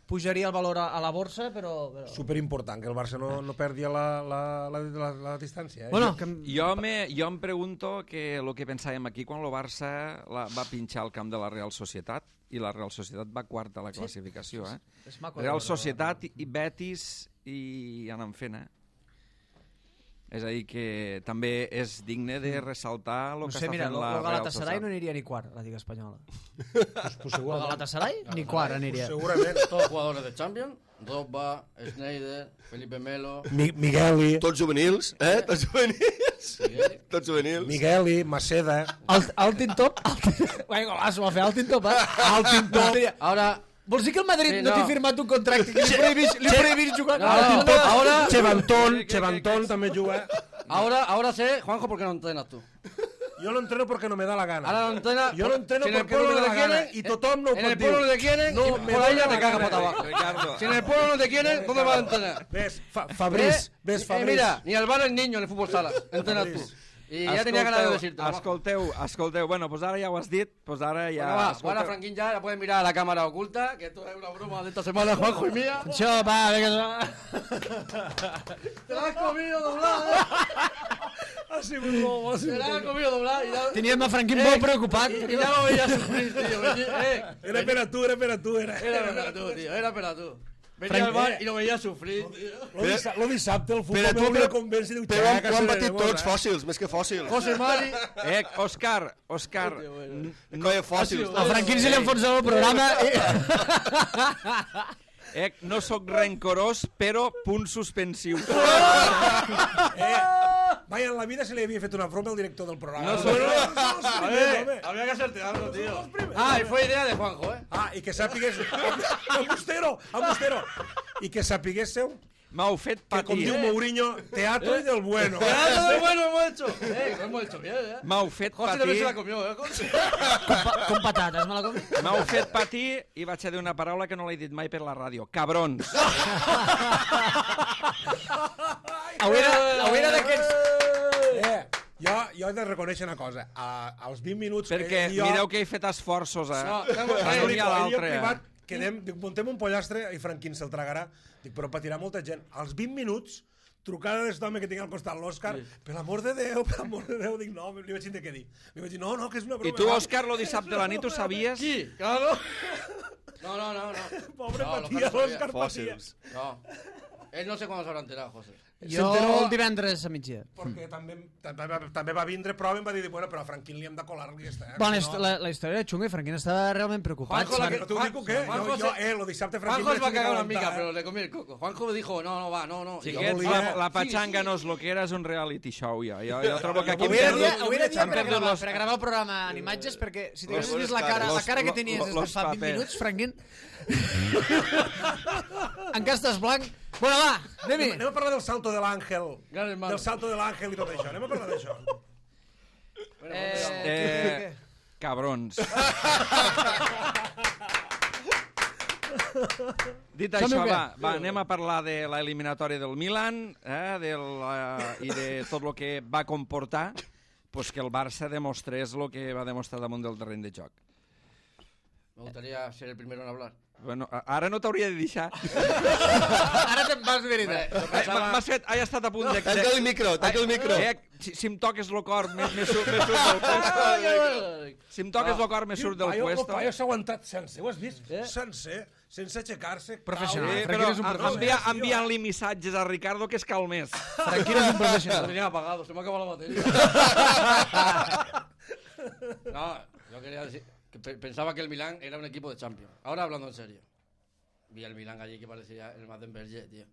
pujaria el valor a, a la borsa, però... però... Superimportant que el Barça no, no perdi la, la, la, la, la distància. Eh? Bueno, que... Jo me, jo em pregunto que el que pensàvem aquí quan el Barça la, va pinxar al camp de la Real Societat i la Real Societat va quarta a la classificació. Eh? és maco de Real veure, Societat i Betis i anant fent, eh? És a dir, que també és digne de ressaltar el no que sé, està mira, fent el la Real Galatasaray Societat. no aniria ni quart a la Lliga Espanyola. Pues, pues El segurament. Galatasaray ni quart aniria. Segurament. Todos jugadores de Champions. Drogba, Schneider, Felipe Melo. Mi, Migueli, Tots juvenils, eh? Tots juvenils. Miguel. Tots juvenils. Migueli, Maceda... Alt, Altin Top? Guai, golaç, ho va fer Altin Top, eh? Altin Top. Ahora, Vols dir que el Madrid Sí, no no. t'ha firmat un contracte que li prohibís, li prohibís jugar? No, Altin no, Top. ahora, Chevantón, Chevantón també juga. ahora, ahora sé, Juanjo, ¿por qué no entrenas tú? Yo lo entreno porque no me da la gana. Ahora no entrenas. Yo lo entreno si en el porque no pueblo me da te la gana. quieren, Y tothom no ho en pot el pueblo dir. no te quieren, No y me por da ahí ya la te cagas gana. para abajo. Ricardo. Si en el pueblo no te quieren, ¿dónde vas a entrenar? Ves, fa, Fabriz, ¿Eh? ves, Eh, Fabriz. mira, ni al bar el niño en el fútbol sala. Entrenas tú. Y ya tenía ganas de decirte. Escolteu, escolteu. Bueno, doncs ara ja ho has dit, doncs ara ja... Venga, va, escolteu. ahora Franquín ya la puedes mirar a la cámara oculta, que esto es una broma de esta semana, Juanjo y mía. Això, va, vinga. Te la has comido doblada, eh. Ha sigut bo, ha Te sigut la has bo. comido doblada. Y ya, Teníem a Franquín molt preocupat. y, y ya lo veías sufrir, tío. Vení- Eh, Era per a tu, era per a tu, era. era para tú, tío, era para tú. Venía Frank- al bar y lo veías sufrir, tío. Lo, dissa lo dissabte el futbol Però tu, meu però- me convenç i diu, Però han, "Xaca, ho han seré patit nervosa, tots eh?" fòssils, més que fòssils. José Mari. Eh, Òscar, Òscar, Hòstia, bueno. Colla fòssils. A Franquín se li enfonsa el programa. eh, no sóc rencorós, però punt suspensiu. Eh, mai en la vida se li havia fet una broma al director del programa. No sóc- A ver, había que hacerte algo, tío. Ah, y fue idea de Juanjo, ¿eh? Ah, i que sàpigues... Embustero, embustero. I que sapiguéssiu M'heu fet que, com patir. diu Mourinho, teatro y del bueno. ¡Ah, lo bueno hemos hecho! Eh, lo hemos hecho bien, ¿eh? M'heu fet José también se la patir. comió, ¿eh? José? Com, pa- com patates, me la com? M'heu fet patir i vaig a dir una paraula que no l'he dit mai per la ràdio. Cabrons. Hauria, hauria d'aquests... Eh, jo, jo he de reconèixer una cosa. A, als vint minuts Perquè que jo... mireu que he fet esforços, eh? No, tengo- A Ai, un dic, i a jo l'altre, privat, eh? quedem, dic, muntem un pollastre i Franquín se'l tragarà. Dic, però patirà molta gent. Als vint minuts, trucada d'aquest home que tinc al costat, l'Òscar, per l'amor de Déu, per l'amor de Déu, dic, no, li vaig dir què dir. Li vaig dir, no, no, que és una broma. I tu, Òscar, lo dissabte a la nit ho sabies? Sí, claro. No, no, no, no. Pobre No, lo patia, que no l'Òscar patia. Fòssils. No. Él no sé cuándo se habrá enterado, José. Jo S'enteró- el divendres a migdia. Perquè també, també, va, també va vindre prova i em va dir, bueno, però a Franquín li hem de colar-li i ja està. Bueno, la, la, la història era xunga i Franquín estava realment preocupat. Juanjo, la Però tu dic què? Juanjo Jo, jo, se- eh, lo dissabte Franquín... Juanjo es va a vaig cagar una aguantar, mica, eh? pero le comí el coco. Juanjo dijo, no, no, va, no, no. Y yo Xiquets, volia- la, la Sí, patxanga sí. no és lo que era, és un reality show, ja. Jo, jo trobo que aquí hem Avui era dia, perdut, avui era dia hem per, perdut gravar, los, per gravar el programa en imatges, perquè si t'haguessis Los- vist la cara, la los- cara que los- tenies des los de fa vint papers. minuts, Franquín... Encara estàs blanc. Bueno, va, anem-hi. Anem a parlar del salto de l'Àngel. Gran hermano. Del salto de l'Àngel i tot això. Anem a parlar d'això. Bueno, Eh, pues, Eh, què- cabrons. Dit Som-hi això, o què? va, va, anem a parlar de l'eliminatòria del Milan eh, de la, i de tot el que va comportar pues, que el Barça demostrés el que va demostrar damunt del terreny de joc. Me gustaría ser el primero en hablar. Bueno, a- ara no t'hauria de deixar. Ara te'n vas, veritat. Hombre, yo pensaba- M'has fet... He estat a punt de... Tanca el micro, tanca el micro. Eh, si, si em toques el cor, me, me, surt, me surt del puesto. Si em toques el cor, me surt del Paio, el puesto. paio s'ha aguantat sense, ho has vist? Sencer, sense aixecar-se. Professional. Eh, Ah, però Franquino és un en- professional. envia, enviant-li missatges a Ricardo que es calmés. Franquino és un Lo professional. tenía apagado, se me ha acabado la batería. No, yo quería decir que pe- pensaba que el Milán era un equipo de Champions. Ahora hablando en serio. Vi al Milán allí que parecía el Madenberger, tío.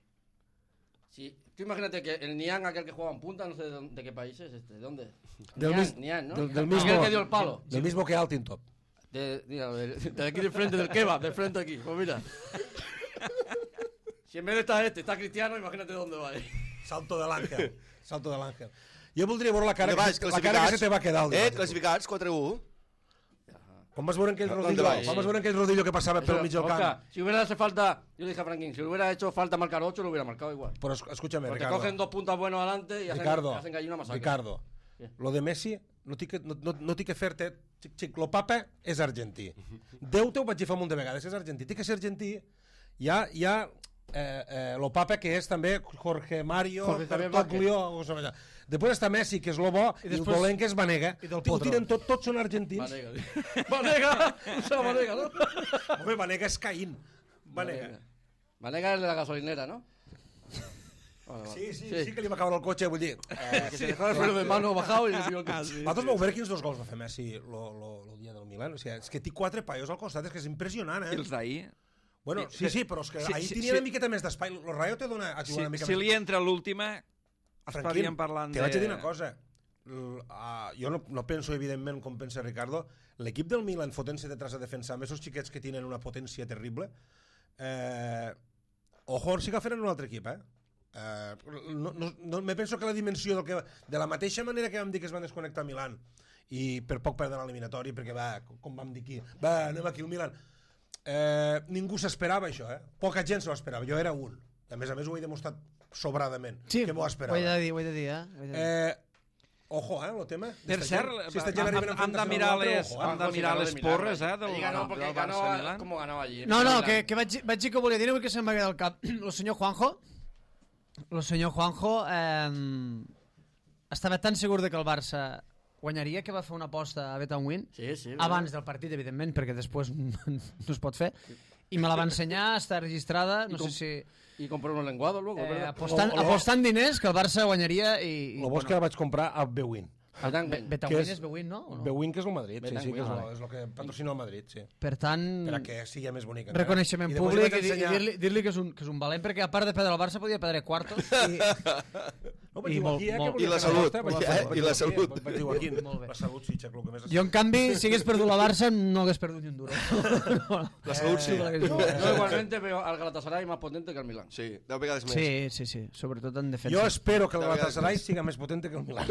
Sí, tú imagínate que el Nian, aquel que jugaba en punta, no sé de, dónde- de qué país es este, ¿de dónde? Del Nian, mis- Nian, ¿no? del- del Aquel mismo- que dio el palo. Del mismo que Altintop. De, mira, de, de aquí de frente, del kebab, de frente aquí. Pues mira. Si en vez de estar este, está Cristiano, imagínate dónde va ahí. Salto de l'Àngel. Salto de l'Àngel. Jo voldria veure la cara, Endavant, que, se- la cara que se te va quedar. El Eh, dimarts. classificats, quatre a u. Quan vas veure aquell No, no rodillo, endavant. quan vas veure aquell rodillo que passava pel Eso, mig del camp? Oscar, si hubiera hecho falta, yo le dije a Franklin, si hubiera hecho falta marcar ocho, lo hubiera marcado igual. Però es- escúchame, Porque Ricardo. cogen dos puntas buenos adelante y hacen, Ricardo, hacen allí una masacre. Ricardo, Què? lo de Messi no tinc que, no, no, no tinc que fer-te... Xic, xic, lo papa és argentí. Déu te ho vaig dir fa un munt de vegades, és argentí. Té que ser argentí. Hi ha, hi ha eh, eh, lo papa, que és també Jorge Mario Jorge Javier Bertoglio, o sigui, després està Messi, que és lo bo, i, després- el dolent, que és Vanega. i del Ho Potro. tiren tot, tots són argentins. Vanega, tío. Vanega, usa Vanega, ¿no? Home, Vanega és Caín. Vanega. Vanega es de la gasolinera, ¿no? Vale, vale. Sí, sí, sí, que li va caure el cotxe, vull dir... Eh, Que se dejó el freno de mano bajado y le dio el casi. Vosaltres vau veure quins dos gols va fer Messi el dia del Milan? O sigui, és que té quatre paios al costat, és que és impressionant, I eh? els d'ahir... Bueno, sí, sí, però és que Sí, ahir sí, tenia sí. una miqueta més d'espai. El Rayo te dona a Si, jugar una mica si més. li entra l'última, Franquín, estaríem parlant te de... vaig a dir una cosa. L- uh, jo no, no penso, evidentment, com pensa Ricardo, l'equip del Milan fotent-se detrás a defensar amb esos xiquets que tenen una potència terrible, eh, ojo, si agafen un altre equip, eh? Eh, no, no, no, me penso que la dimensió del que, de la mateixa manera que vam dir que es van desconnectar a Milan i per poc perdre l'eliminatori perquè va, com vam dir aquí, va, anem aquí al Milan, eh, ningú s'esperava això, eh? Poca gent s'ho esperava, jo era un, a més a més ho he demostrat sobradament, Sí, que m'ho ho esperava. he de dir, ho he de dir, eh? Ho he de dir. Eh, ojo, eh, el tema. Per D'esta cert, gent, si esta gent hem, arriben a hem de enfrontar-se mirar amb l'altre, les, ojo, eh? hem de Ojo, si mirar ganó les de Milán, porres, eh, del, Allí ganó del porque Barça ganó Milan. como ganó allí. No, no, Milán. que, que vaig, vaig dir que volia dir, avui que se'm va quedar al cap. El senyor Juanjo, el senyor Juanjo eh, estava tan segur de que el Barça guanyaria que va fer una aposta a Bet and Win Sí, sí. abans del partit, evidentment, perquè després no es pot fer, i me la va ensenyar, està registrada, no I com- sé si... Y compró unos lenguados luego, Eh, ¿verdad? apostant, O- o- apostant diners que el Barça guanyaria i... i Lo bo és que la vaig comprar a Bewin. Betán, Be- Bet and que Win és- és Bewin, no? O no? Bewin, que és el Madrid, sí, Bet and sí, que és, Win, lo, vale. és el que patrocina el Madrid, sí. Per tant, Per a que sigui més bonic. encara. Mm. reconeixement I després públic vaig i, di- i ensenyar- dir-li dir que, és un, que és un valent, perquè a part de perdre el Barça podia perdre quartos i, No, vaig i dir molt- aquí, eh, molt- que volia I la fer salut, vostè, vaig eh, dir- i vaig la dir aquí, salut. Vaig dir aquí, Molt bé. la salut, sí, Xac, el que més... jo, en canvi, si hagués perdut la Barça, no hagués perdut ni un duro. La salut, sí. Yo igualmente veo al Galatasaray más potente que al Milán. Sí, deu vegades més. Sí, sí, sí, sobretot en defensa. Jo espero que el De vegades Galatasaray més. siga més potente que el Milan.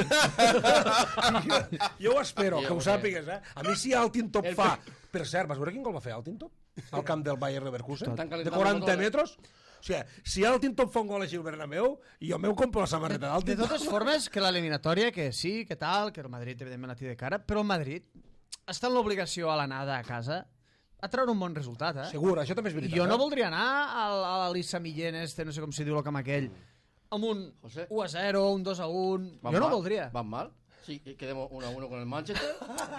jo, jo ho espero, Sí, que ho perquè- sàpigues, eh? A mi si Altintop El- fa... Per cert, vas veure quin gol va fer Altintop? Al camp del Bayer Leverkusen? Estan De calentando quaranta motores. metres? O sigui, si Altintop fa un gol així al Bernabéu, jo m'ho compro la samarreta De d'Altintop. totes formes, que l'eliminatòria, que sí, que tal, que el Madrid, evidentment, la té de cara, però el Madrid està en l'obligació a l'anada a casa a treure un bon resultat, eh? Segur, això també és veritat. Jo no eh? voldria anar al, a l'Elisa Millén, este, no sé com se diu el camp aquell, amb un José. u a zero, un dos a un... ¿Van Jo no mal? voldria. ¿Van mal? Sí, que quedemos uno a uno con el Manchester.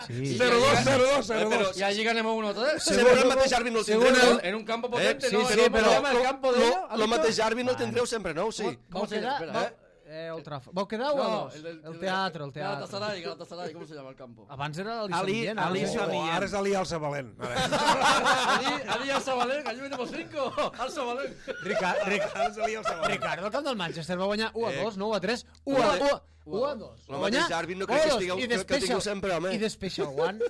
Sí. cero dos, cero dos, Eh, cero però dos. Y allí ganemos uno a tres. Segons el mateix àrbitre no el según tindreu, el- no? En un campo potente, sí, ¿no? sí, ¿Cómo pero- se llama el campo de Lo, ellos? ¿Has lo visto? mateix àrbitre no el tindreu sempre, no? Sí. Vau ¿Cómo se quedar... llama? Vau... Espera, Eh, Old Trafford. Vau quedar o a No, dos? el, del- El teatre, el teatre. Galatasaray, Galatasaray, ¿cómo se llama el campo? Abans era l'Elisa Ali- Millén. ara Ali no sé. Sami- Oh, ara és Ali Alça Valent. Ara. allí, allí al Sabalén, allí venimos cinco. Al Sabalén. Rica, Ric, Ara és Ali Alça Valent. Ricardo, el camp del Manchester va guanyar u a dos, no u a tres, u Home, a de- u a dos. el mateix àrbitre no crec que estigueu- que- que tingueu sempre, home. I de Special One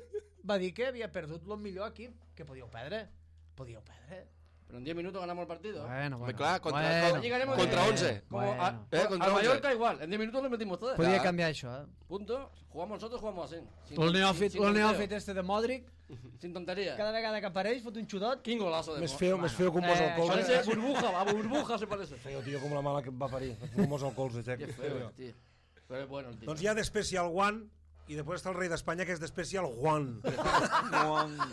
va dir que havia perdut el millor equip, que podíeu perdre. Podíeu perdre. Pero en diez minutos ganamos el partido. Bueno, bueno. clar, contra- bueno, Allí ganemos contra de- once. Como Bueno. a- Eh, contra al once. Mallorca igual. En diez minutos le metimos todas. Podia Clar. canviar això, eh? Punto. Jugamos nosotros, jugamos así. Sin, El sin- neòfit, sin el tonteo. neòfit este de Modric, Sin tontería. cada vegada que apareix fot un xudot. Quin golazo de Més Mo- feo, més feo que un mos Eh, al colze. Parece burbuja, a burbuja se parece. Feo, tio, com la mala que em va parir. Un mos al colze, Xac. Qué feo, tío. Pero es bueno el tío. Doncs hi ha de Special One, i després està el rei d'Espanya, que és d'Especial Juan.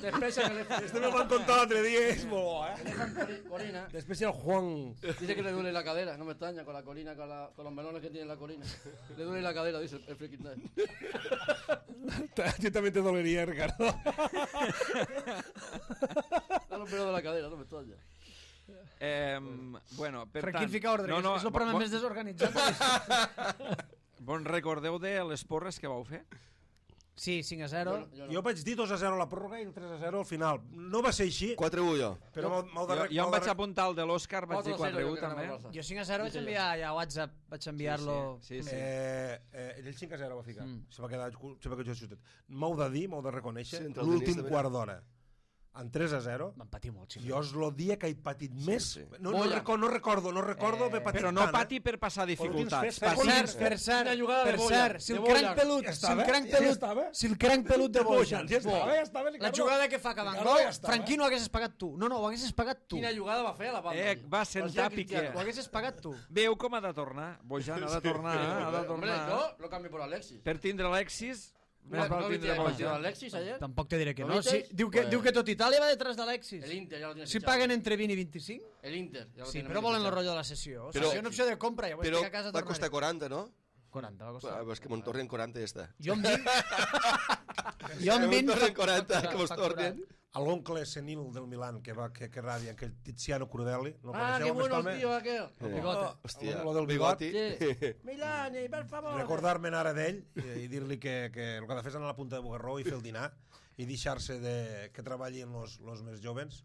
Despecha que le Este me lo han contado l'altre dia, és molt bo, eh? Cori- Corina. D'Especial Juan. Dice que le duele la cadera, no me extraña, con la colina, con, la, con los melones que tiene la colina. Le duele la cadera, dice el, el freaking time. A ti també te doleria, Ricardo. Da los pelos de la cadera, no me extraña. Eh, bueno, per Franquín tant... fica ordre, no, no, és el programa bon, més desorganitzat. bon recordeu de les porres que vau fer? Sí, cinc a zero. Bueno, yo no. Jo vaig dir dos a zero a la pròrroga i el tres a zero al final. No va ser així, quatre u jo. però m'heu- m'heu de... Jo, rec- jo em m'heu de vaig rec- apuntar al de l'Òscar, vaig dir cuatro cero quatre u yo que també. ganaba el Barça. Jo cinc a zero vaig Dice enviar ja a WhatsApp, vaig enviar-lo... Sí, sí. Eh, eh, ell cinc a zero va ficar. Mm. Se va quedar, se va quedar justet. M'heu de dir, m'heu de reconèixer, Sí, entre el l'últim Denis també. quart d'hora, en tres a zero, Me'n patir molt, sí. jo és el dia que he patit més. sí. No, no, Bolla. recordo, no recordo, no recordo Eh, haver patit Però no tant, pati eh? per passar dificultats. tres, Per Pati- cert, per cert, Una jugada de per Bojan, cert, si de el cranc Bojan. pelut, Ja si estava, el cranc ja pelut, estava. si el cranc pelut de Bojan, Ja estava, ja estava, la Ricardo. jugada que fa acabant Ricardo, gol, ja estava. Franquí no ho haguessis pagat tu. No, no, ho haguessis pagat tu. Quina jugada va fer a la banda. Eh, va sentar Parecía Piqué. Cristiano. Ho haguessis pagat tu. Veu com ha de tornar? Bojan ha de tornar, ha de Hombre, tornar. yo lo cambio por Alexis. Per tindre Alexis, Mira, més val ¿no viste tindre el partido de Bojan. Alexis ayer? Tampoc te diré que ¿Lo no. Sí, visteis? diu, que, Pues- diu que tot Itàlia va detrás d'Alexis. El Inter ya lo tiene Si fichado. paguen entre vint i vint-i-cinc, El Inter. Ya lo sí, tiene però bien volen el fichado. rotllo de la sessió. O sigui, Però- és una opció de compra, ja ho Però estic a casa va costar tornaré. quaranta, no? quaranta va Ah, costar. és que me'n tornen quaranta i ja està. Jo amb vint... jo amb vint... Me'n tornen fa- quaranta, fa- que mos fa tornen. quaranta. A l'oncle senil del Milan, que va que, que ràdia, que el Tiziano Crudelli. No Ah, coneixeu, qué més bueno el palme? tío aquel. El bigote. Oh, Hòstia, lo del bigot. Sí. Milani, per favor. Recordar-me'n ara d'ell i, i dir-li que, que el que ha de fer és anar a la punta de Bugarró i fer el dinar i deixar-se de que treballin els més jovens,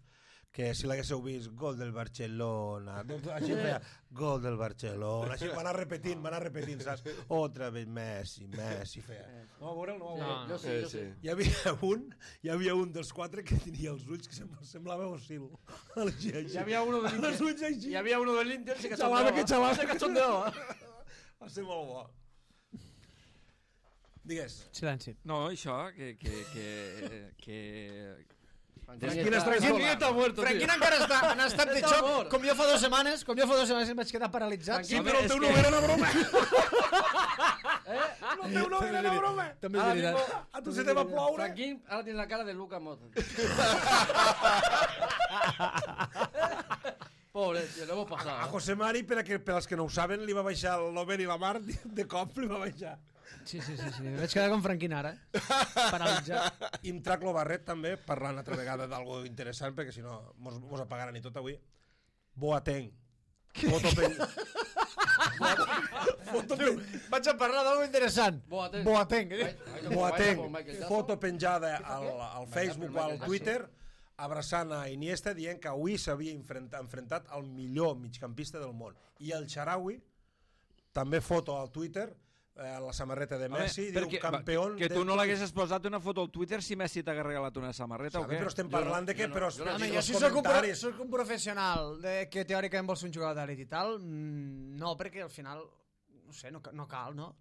que si l'haguéssiu vist, gol del Barcelona, doncs així feia, gol del Barcelona, així va anar repetint, va anar repetint, saps? Otra vez Messi, Messi, feia. No va veure'l, no va Sí, veure'l. yo sí, Eh, yo sí. sí. Hi havia un, hi havia un dels quatre que tenia els ulls que sem- semblava Osil. Així, així. Y había uno del Els Inter. ulls així. Y había uno del Inter que se Xalava, que xalava. Se cachondeaba. Va ser molt bo. Digues. Silenci. No, això, que... que, que, que... Franquín està Franquín sola. está muerto, tío. Franquín encara està en estat de Està xoc, mort. com jo fa dues setmanes, com jo fa dues setmanes em vaig quedar paralitzat. Franquín, Home, Però el és teu que- no era una broma. ¿Eh? El teu no era una broma. També és Ahora veritat. mismo, A tu se te va ploure. Franquín ahora tiene la cara de Lucas Motta. Pobre, tío, lo hemos A pasado. ¿eh? José Mari, per, a que, per als que no ho saben, li va baixar l'Oben i la Mar, de cop li va baixar. Sí, sí, sí, sí. Vaig quedar com Franquín ara, paralitzat. I em trac lo Barret també, parlant altra vegada d'algo interessant, perquè si no mos, mos apagaran i tot avui. Boateng. Foto pen... Foto pen... Vaig a parlar d'algo interessant. Boateng. Boateng. Vai- vai- Boateng, vai- Michael Jackson. foto penjada al, al Facebook o al Michael Twitter, abraçant a Iniesta, dient que avui s'havia enfrentat, enfrentat al millor migcampista del món. I el Xaraui, també foto al Twitter, eh, la samarreta de Messi, Home, diu campió... que tu no l'haguessis posat una foto al Twitter si Messi t'hagués regalat una samarreta o què? Però estem parlant de què? Però, jo no- Home, però jo els si soc un, pro, comentaris- soc un professional de, que teòricament vol ser un jugador d'elit i tal, mm, no, perquè al final, no sé, no, ca- no cal, no?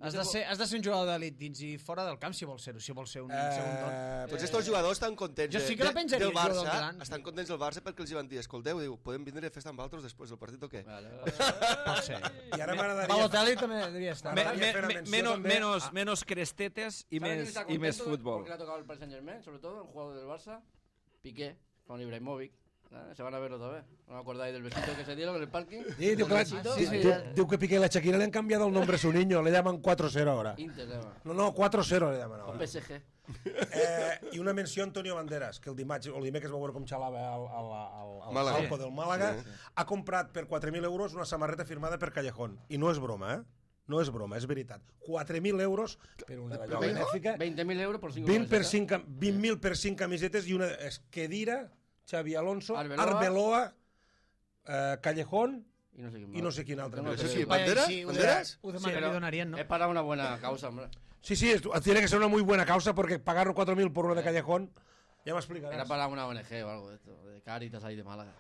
Has de, ser, has de ser un jugador d'elit dins i fora del camp si vols ser-ho, si vols ser un, ser un don. Eh, Tots estos jugadors estan contents Jo de- sí que la de- penjaria, del el jugador Barça, gran. estan contents del Barça perquè els hi van dir, escolteu, diu, podem vindre a festa amb altres després del partit o què? Vale, vale. Pot ser. I ara m'agradaria... Balotelli també devia estar. Me, M'agradaria me, fer una me, menció menos, també menos, a- menos crestetes i ¿Sabe quién més, está i més contento futbol. Porque le ha tocado el Paris Saint-Germain, sobre todo, un jugador del Barça, Piqué, con Ibrahimovic. ¿eh? Se van a ver otra vez. ¿No os acordáis del besito que se dieron en el parking? Sí, diu, que la, Besito. sí, sí, diu, ja. diu que Piqué i la Shakira le han cambiado el nombre a su niño, le llaman cuatro cero ahora. Inter, ¿eh? No, no, cuatro cero le llaman O ahora. P S G. Eh, I una menció a Antonio Banderas, que el dimarts, o el dimecres va veure com xalava al, al, al, al Màlaga. campo del Màlaga. Sí. Ha comprat per quatre mil euros una samarreta firmada per Callejón. I no és broma, eh? No és broma, és veritat. quatre mil euros per una d'allò benèfica, veinte mil euros por cinco vint per camisetas. cinc cam- vint mil per cinc camisetes i una Esquedira, Xavi Alonso, Arbeloa. Arbeloa, eh, Callejón Y no sé quién i no sé quin altre. Tengo més. Eso que- sí, Vaya, ¿Banderas? sí, ho de- ¿Banderas? ho de- Sí, li pero donarien, no? Es para una buena causa, hombre. Sí, sí, es- tiene que ser una muy buena causa porque pagar cuatro mil por una de Callejón, ya me explicarás. Era para una O N G o algo de esto, de Caritas ahí de Málaga.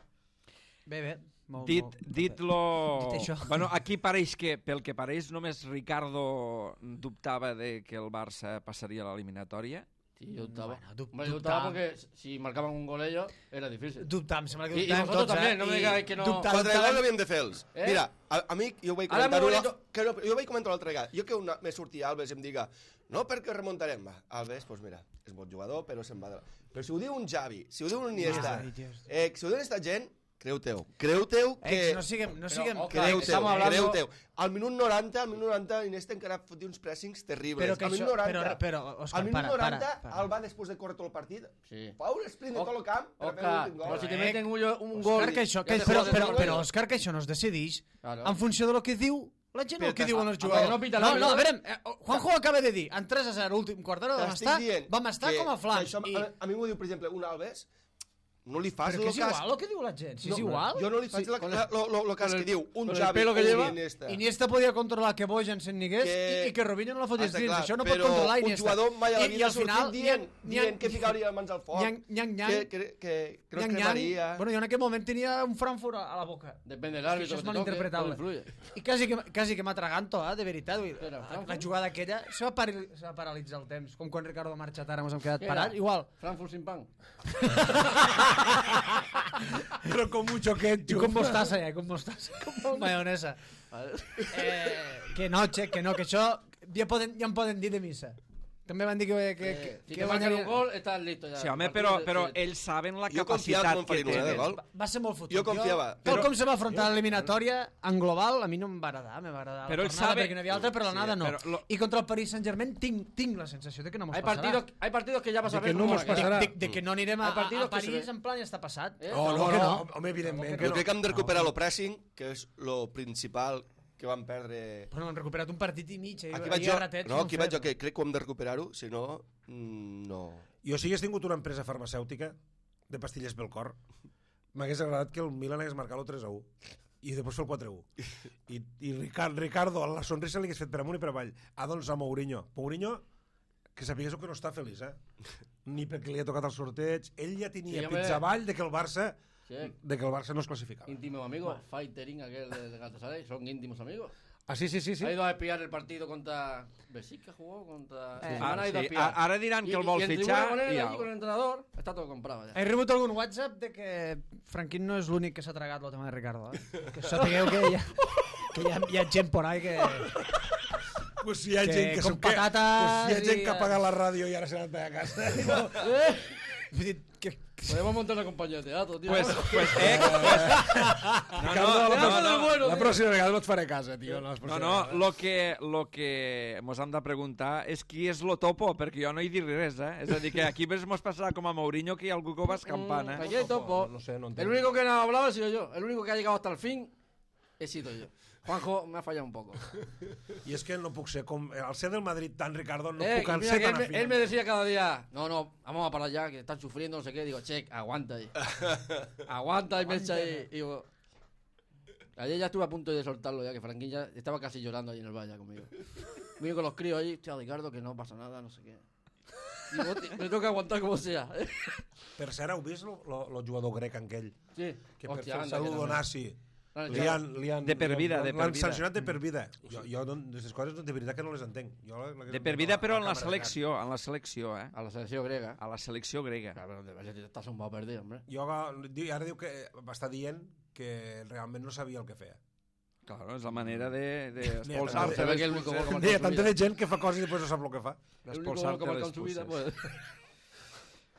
Bé, bé. Molt, Dit, molt- dit-lo... Dit això. Bueno, aquí pareix que, pel que pareix, només Ricardo dubtava de que el Barça passaria a l'eliminatòria. Sí, yo dubtaba. Bueno, du- Hombre, yo dubtaba. dubtaba porque si marcaban un gol ellos, era difícil. Dubtam, sembla que I- i dubtàvem vosotros tots, també, eh? no me I digáis que no- dubtàvem, Quatre gols dubtàvem. havíem de fer-los. Eh? Mira, a, a mi, jo ho vaig Ara comentar muy una, bonito. que no, jo ho vaig comentar l'altra vegada. Jo que una, me sortia Alves i em diga no, perquè remuntarem. Va, Alves, doncs mira, és bon jugador, però se'n va de la... Però si ho diu un Xavi, si ho diu un Iniesta, Ai, Dios. eh, si ho diu aquesta gent, creu-teu. Creu-teu que... Ex, no siguem... No siguem Però, que- Creu-teu, Creu-teu, estamos hablando- creu-teu. Al minut noranta, al minut noranta, Iniesta encara fotia uns pressings terribles. Però que al minut això- noranta, però- però, Òscar, al minut para, noranta, para, para. Alba, després de córrer tot el partit, Sí. fa un sprint de tot el camp per fer Oscar, l'últim gol. pero si te Eh, meten un, un Òscar, gol... que això, ya que, te però, jodes però, el però, gol. Òscar, que això no es decideix Claro. en funció de lo que diu la gent o el que diuen els a- a- jugadors. no pita no, l'àrbitre. no, a veure, eh, Juanjo acaba de dir, en tres a zero, últim quart d'hora, vam T'estic estar, dient vam estar que- com a flams. que això, I, a, a mi m'ho diu, per exemple, un Alves, no li fas però el que és cas... igual el que diu la gent, si és no, igual. Jo no li faig Sí, la, con la, el- lo, lo, lo cas con el- que diu un con el Xavi pelo o que un lleva. Iniesta. Iniesta podia controlar que Bojan se'n nigués Que- i, i que Robinho no la fotés Està dins. clar, Això no però pot controlar un Iniesta. jugador mai a la I- vida i al ha sortit final, dient, n'hi ha- dient que ficaria les mans al foc, Nyang, nyang, nyang. que, que, que, que no es Nyang, cremaria. nyang. Bueno, jo en aquell moment tenia un Frankfurt a a la boca. Depende del És que árbitro això és que te toque, malinterpretable. todo influye. I quasi que, quasi que m'atraganto, eh, de veritat. Vull, dir, Què era, la, Frankfurt? la jugada aquella, se va, pari- se va paralitzar el temps, com quan Ricardo ha marxat ara, ens hem quedat Què parats. era? Igual. Frankfurt sin pan. Però com mucho I ketchup. com mostaza, ja, com mostaza. Com maionesa. Eh, que no, che, que no, que això ja, poden, ja em poden dir de missa. També van dir que... que, que, Eh, si que te marcan un guanyaria- gol, estás listo ya. Sí, home, El però, partido però se- ells saben la Jo confiava capacitat que me'n que farien una de tenen. gol. Va, va ser molt fotut. Jo confiava, Tal però- com se va afrontar l'eliminatòria, en global, a mi no em va agradar. Me va agradar Però la ell tornada sabe- perquè no hi havia altra, però la Sí, nada no. però lo- I contra el Paris Saint-Germain tinc, tinc la sensació de que no mos Hay passarà. partidos, hay partidos que ya vas a De ver que no cómo mos van a quedar. passarà. de, de que no anirem a, Hay a, partidos a que se París ve. en plan ja està passat. Eh? Oh, no, que no, no. home, evidentment que que Jo no. crec que hem de recuperar el pressing, que és lo principal que vam perdre... Però no, hem recuperat un partit i mig. Eh? Aquí I vaig jo, a ratets no, no hem aquí vaig fet. jo, que crec que ho hem de recuperar-ho, si no, mm, no... Jo si hagués tingut una empresa farmacèutica de pastilles pel cor, m'hagués agradat que el Milan hagués marcat el tres a u i després fer el quatre a u. I, i Ricard, Ricardo, la sonrisa li hagués fet per amunt i per avall. Ah, doncs a Mourinho. Mourinho, que sapigués que no està feliç, eh? Ni perquè li ha tocat el sorteig. Ell ja tenia Sí, home. pits avall de que el Barça Sí. de que el Barça no es clasificava. Íntimos amigos, Fightering, aquel de, de Galatasaray, son íntimos amigos. Ah, sí, sí, sí. sí. Ha ido a espiar el partido contra Besikta, jugó contra... Eh, Su hermana ha ido a sí, espiar. a- ara diran que Y- el vol y en fitxar tribuna con él, i allí au. con el entrenador, está todo comprado ya. He rebut algun WhatsApp de que Franquín no és l'únic que s'ha tragat el tema de Ricardo. Eh? Que sapigueu que hi ha, que hi ha, hi ha gent por ahí que... Pues si hi ha Que gent que... com som que- patates pues si hi ha gent i- que ha pagat la ràdio i ara s'ha anat a casa. Eh, Vull dir, que, Podemos montar una compañía de teatro, tío. Pues, pues, eh, pues, no, no, la, no, no, bueno, la tío. pròxima vegada no et faré casa, tio. No, no, no, lo que, lo que mos hem de preguntar és qui és lo topo, perquè jo no hi diré res, eh? És a dir, que aquí ves mos passarà com a Mourinho, que hi ha algú que va escampant, Mm, eh? aquí hay topo. No sé, no El entenc. único que no ha hablado ha sido yo. El único que ha llegado hasta el fin he sido yo. Juanjo me ha fallado un poco. I és que no puc ser com... Al ser del Madrid tan Ricardo no Eh, puc y mira ser que él, tan me, afín. él me decía cada día, no, no, vamos a parar ya, que están sufriendo, no sé qué. Digo, che, aguanta ahí. Aguanta y me echa ahí. Y digo, ayer ya estuve a punto de soltarlo ya, que Franquín ya estaba casi llorando ahí en el valle conmigo. Conmigo con los críos ahí, hostia, Ricardo, que no pasa nada, no sé qué. Digo, "Hostia, me toca aguantar como sea. Per cert, heu vist el jugador grec aquell? Sí, Que per hostia, fer el anda, que saludo también. nazi L'han li echado. han, li han, De per vida, de per l'han vida. sancionat de per vida. Jo, jo no, aquestes coses de veritat que no les entenc. Jo, la, la, De per vida, però en la càmera de selecció, en la selecció, eh? A la selección griega. A la selecció grega. Claro, pero te estás un poco perdido, hombre. gas. Jo, di- ara diu que va estar dient que realment no sabia el que feia. Claro, és la manera de, de Mira, expulsar-te. se ve que el único gol que marca Hi ha en su tanta vida. de gent que fa coses i després no sap el que fa. El único gol que ha marcado en su vida, pues.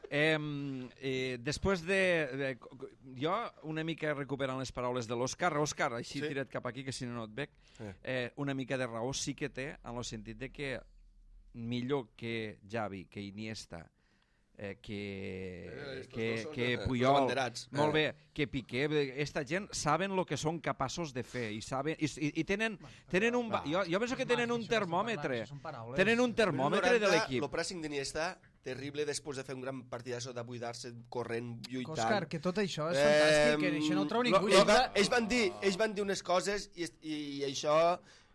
Eh, eh, després de, de... Jo una mica recuperant les paraules de l'Òscar. Òscar, així Sí. tirat cap aquí, que si no no et veig. Eh. Eh, una mica de raó sí que té, en el sentit de que millor que Xavi, que Iniesta, eh, que, Eh, estos que, dos són, que eh, els Puyol, abanderats. molt Eh. bé, que Piqué, esta gent saben el que són capaços de fer i, saben, i, i, i tenen, tenen un... Jo, jo penso que tenen un termòmetre. Tenen un termòmetre de l'equip. El pressing d'Iniesta, terrible després de fer un gran partidasso de buidar-se, corrent, lluitant. Òscar, que tot això és Eh, fantàstic, que això no ho treu ningú. Ells, va, ells, van dir, ells van dir unes coses i, i, i això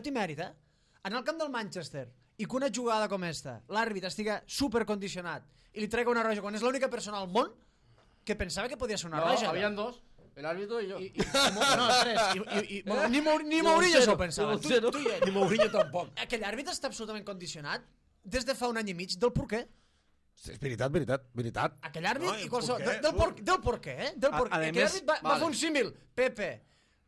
això té mèrit, eh? En el camp del Manchester, i que una jugada com esta, l'àrbit estiga supercondicionat i li trega una roja quan és l'única persona al món, que pensava que podia ser una No, roja. habían dos. El árbitro y yo. I, i, no, tres. I, i, i, bueno, ni, Mau- ni Mourinho s'ho pensava. Tu, tu i ell. Ni Mourinho tampoc. Aquell àrbitre està absolutament condicionat des de fa un any i mig del porquer. És veritat, veritat, veritat. Aquell àrbit No, i el qualsevol... porquer, Del, del, por, surt. del porquer, eh? Del A- porquer. a Aquell més- àrbit va, va vale. fer un símil. Pepe.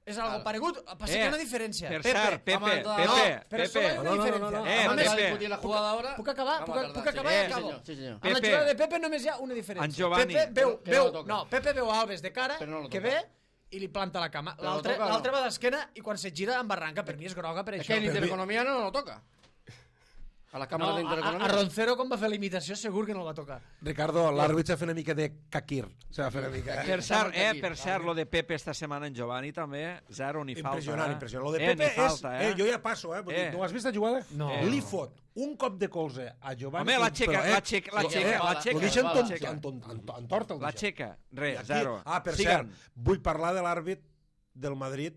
És algo Ah. paregut. Passa que hi ha una diferència. Per Pepe. cert, Pepe, vamos a entrar- Pepe, No, però Pepe. solo hay una No, no, no, diferència. no, no. Eh, Vamos a Pepe. discutir la jugada ahora. Puc acabar? Vamos Puc, a tardar, puc sí. acabar Eh, i sí, acabo. senyor, sí, senyor. Amb la Pepe. jugada de Pepe només hi ha una diferència. En Giovanni. Pepe veu, Que no veu, lo toca. no, Pepe veu Alves de cara, Però no lo que toca. ve i li planta la cama. Però lo L'altre toca o no? l'altre va d'esquena i quan se gira en barranca. Per mi és groga per Es això. que el Però- intereconomía no lo toca. A las cámaras no, de a, intereconomía. a Roncero, quan va fer la imitació, segur que no el va tocar. Ricardo, l'àrbit s'ha fet una mica de Kakir. S'ha fet una mica... Per cert, eh, aquí. per cert, lo de Pepe esta setmana en Giovanni també, zero ni falta. Impressionant, eh? impressionant. Lo de eh, Pepe ni falta, és... eh? Eh, jo ja passo, eh? Vull dir, Eh. no has vist la jugada? No. Eh. Li fot un cop de colze a Giovanni... Home, la però, xeca, eh, l'aixeca, l'aixeca, eh, l'aixeca. Lo deixen va, tot, l'aixeca. en, en, en, en torta. el La deixen. xeca, I res, aquí- zero. Ah, per Siguen. cert, vull parlar de l'àrbit del Madrid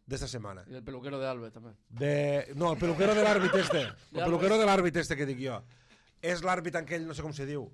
d'esta setmana. Y el peluquero de Alves también. De... No, el peluquero de l'àrbit este. El De peluquero de l'àrbit este que dic jo. És l'àrbit aquell, no sé com se diu,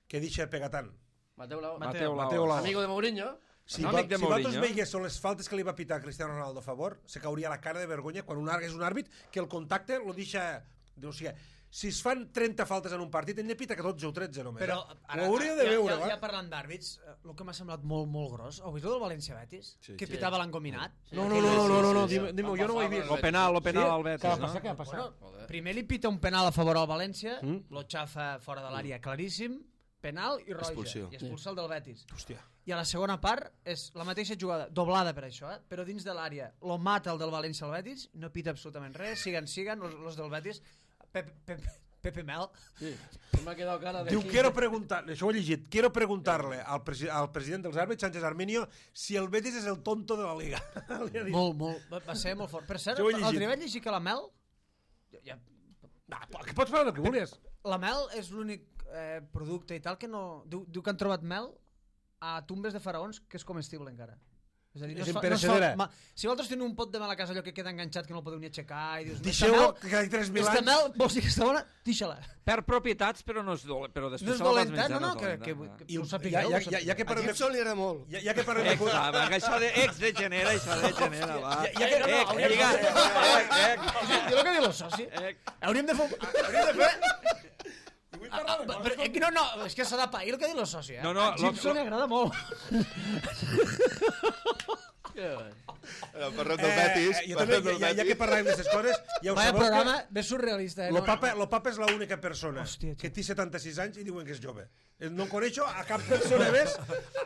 que deixa pegatant. Mateo Lau. Mateo Lau. Mateo Lau. Amigo de Mourinho. Si, No, va, amic de si vosaltres Mourinho. veiguéssiu les faltes que li va pitar Cristiano Ronaldo a favor, se cauria la cara de vergonya quan un àrbit és un àrbit que el contacte lo deixa... O sigui, si es fan trenta faltes en un partit, hem de pitar que dotze o tretze només. Però eh? ara, Ho hauria de ja, veure, ja, va. ja parlant d'àrbits, eh, el que m'ha semblat molt, molt gros, heu vist el del València-Betis? Sí. Que Sí. pitava l'engominat? No, no, no, no, no, no, no, Sí, sí, dime, sí. dime, Han jo no ho he passat vist. per Lo penal, lo penal Sí? al Què Betis, va no? passar? Què va passar? Bueno, Joder. primer li pita un penal a favor al València, Mm. lo xafa fora de l'àrea claríssim, penal i roja. Expulsió. I expulsa el del Betis. Hòstia. I a la segona part és la mateixa jugada, doblada per això, eh? Però dins de l'àrea lo mata el del València al Betis, no pita absolutament res, siguen, siguen, los, los del Betis, Pepe, Pepe, Pepe Mel. Sí. Me ha quedado cara de... Diu, quiero preguntar, això ho he llegit, quiero preguntarle al, presi al president dels àrbits, Sánchez Arminio, si el Betis és el tonto de la Liga. Li ha dit. Molt, molt, va, va ser molt fort. Per cert, Jo ho he el llegit. dia vaig llegir que la Mel... Ja, Ah, que pots parlar del que vulguis. la Mel és l'únic eh, producte i tal que no... Diu, diu que han trobat mel a tumbes de faraons que és comestible encara. És a dir, no És es fa- no es imperecedera. fa- ma- si vosaltres teniu un pot de mel a casa allò que queda enganxat que no el podeu ni aixecar i dius, Deixeu-ho, que cada tres mil aquesta anys... mel, vols dir que està bona? Deixa-la. Per propietats, però no és dolent. Però No després és se la vas dolenta, menjar, no, no, és que, que, dolenta. que, I ho ja, sapigueu. ja, ho ja, ja que A parlem de... Gibson li agrada molt. Ja, ja que parlem de... Ex, va, va, això de ex degenera, això degenera, va. Ja- ja que- no, no, Ex, hauríem lliga, de- ex, ex, Diu el que diu el soci. ex. Hauríem de fer... Hauríem de fer... Vull Ah, parlar de però, coses. però, és que no, no, és que s'ha de pair el que diu el soci, eh? No, no, a Gibson lo- li agrada molt. El parrot del Eh, Betis. eh, jo parrot també, del ja, ja que Betis. parlem d'aquestes coses, ja ho Vaya sabeu programa, que... bé surrealista, eh? Lo No, papa, no. lo papa és l'única persona Hòstia, que tio. té setanta-sis anys i diuen que és jove. Eh, No coneixo a cap persona més,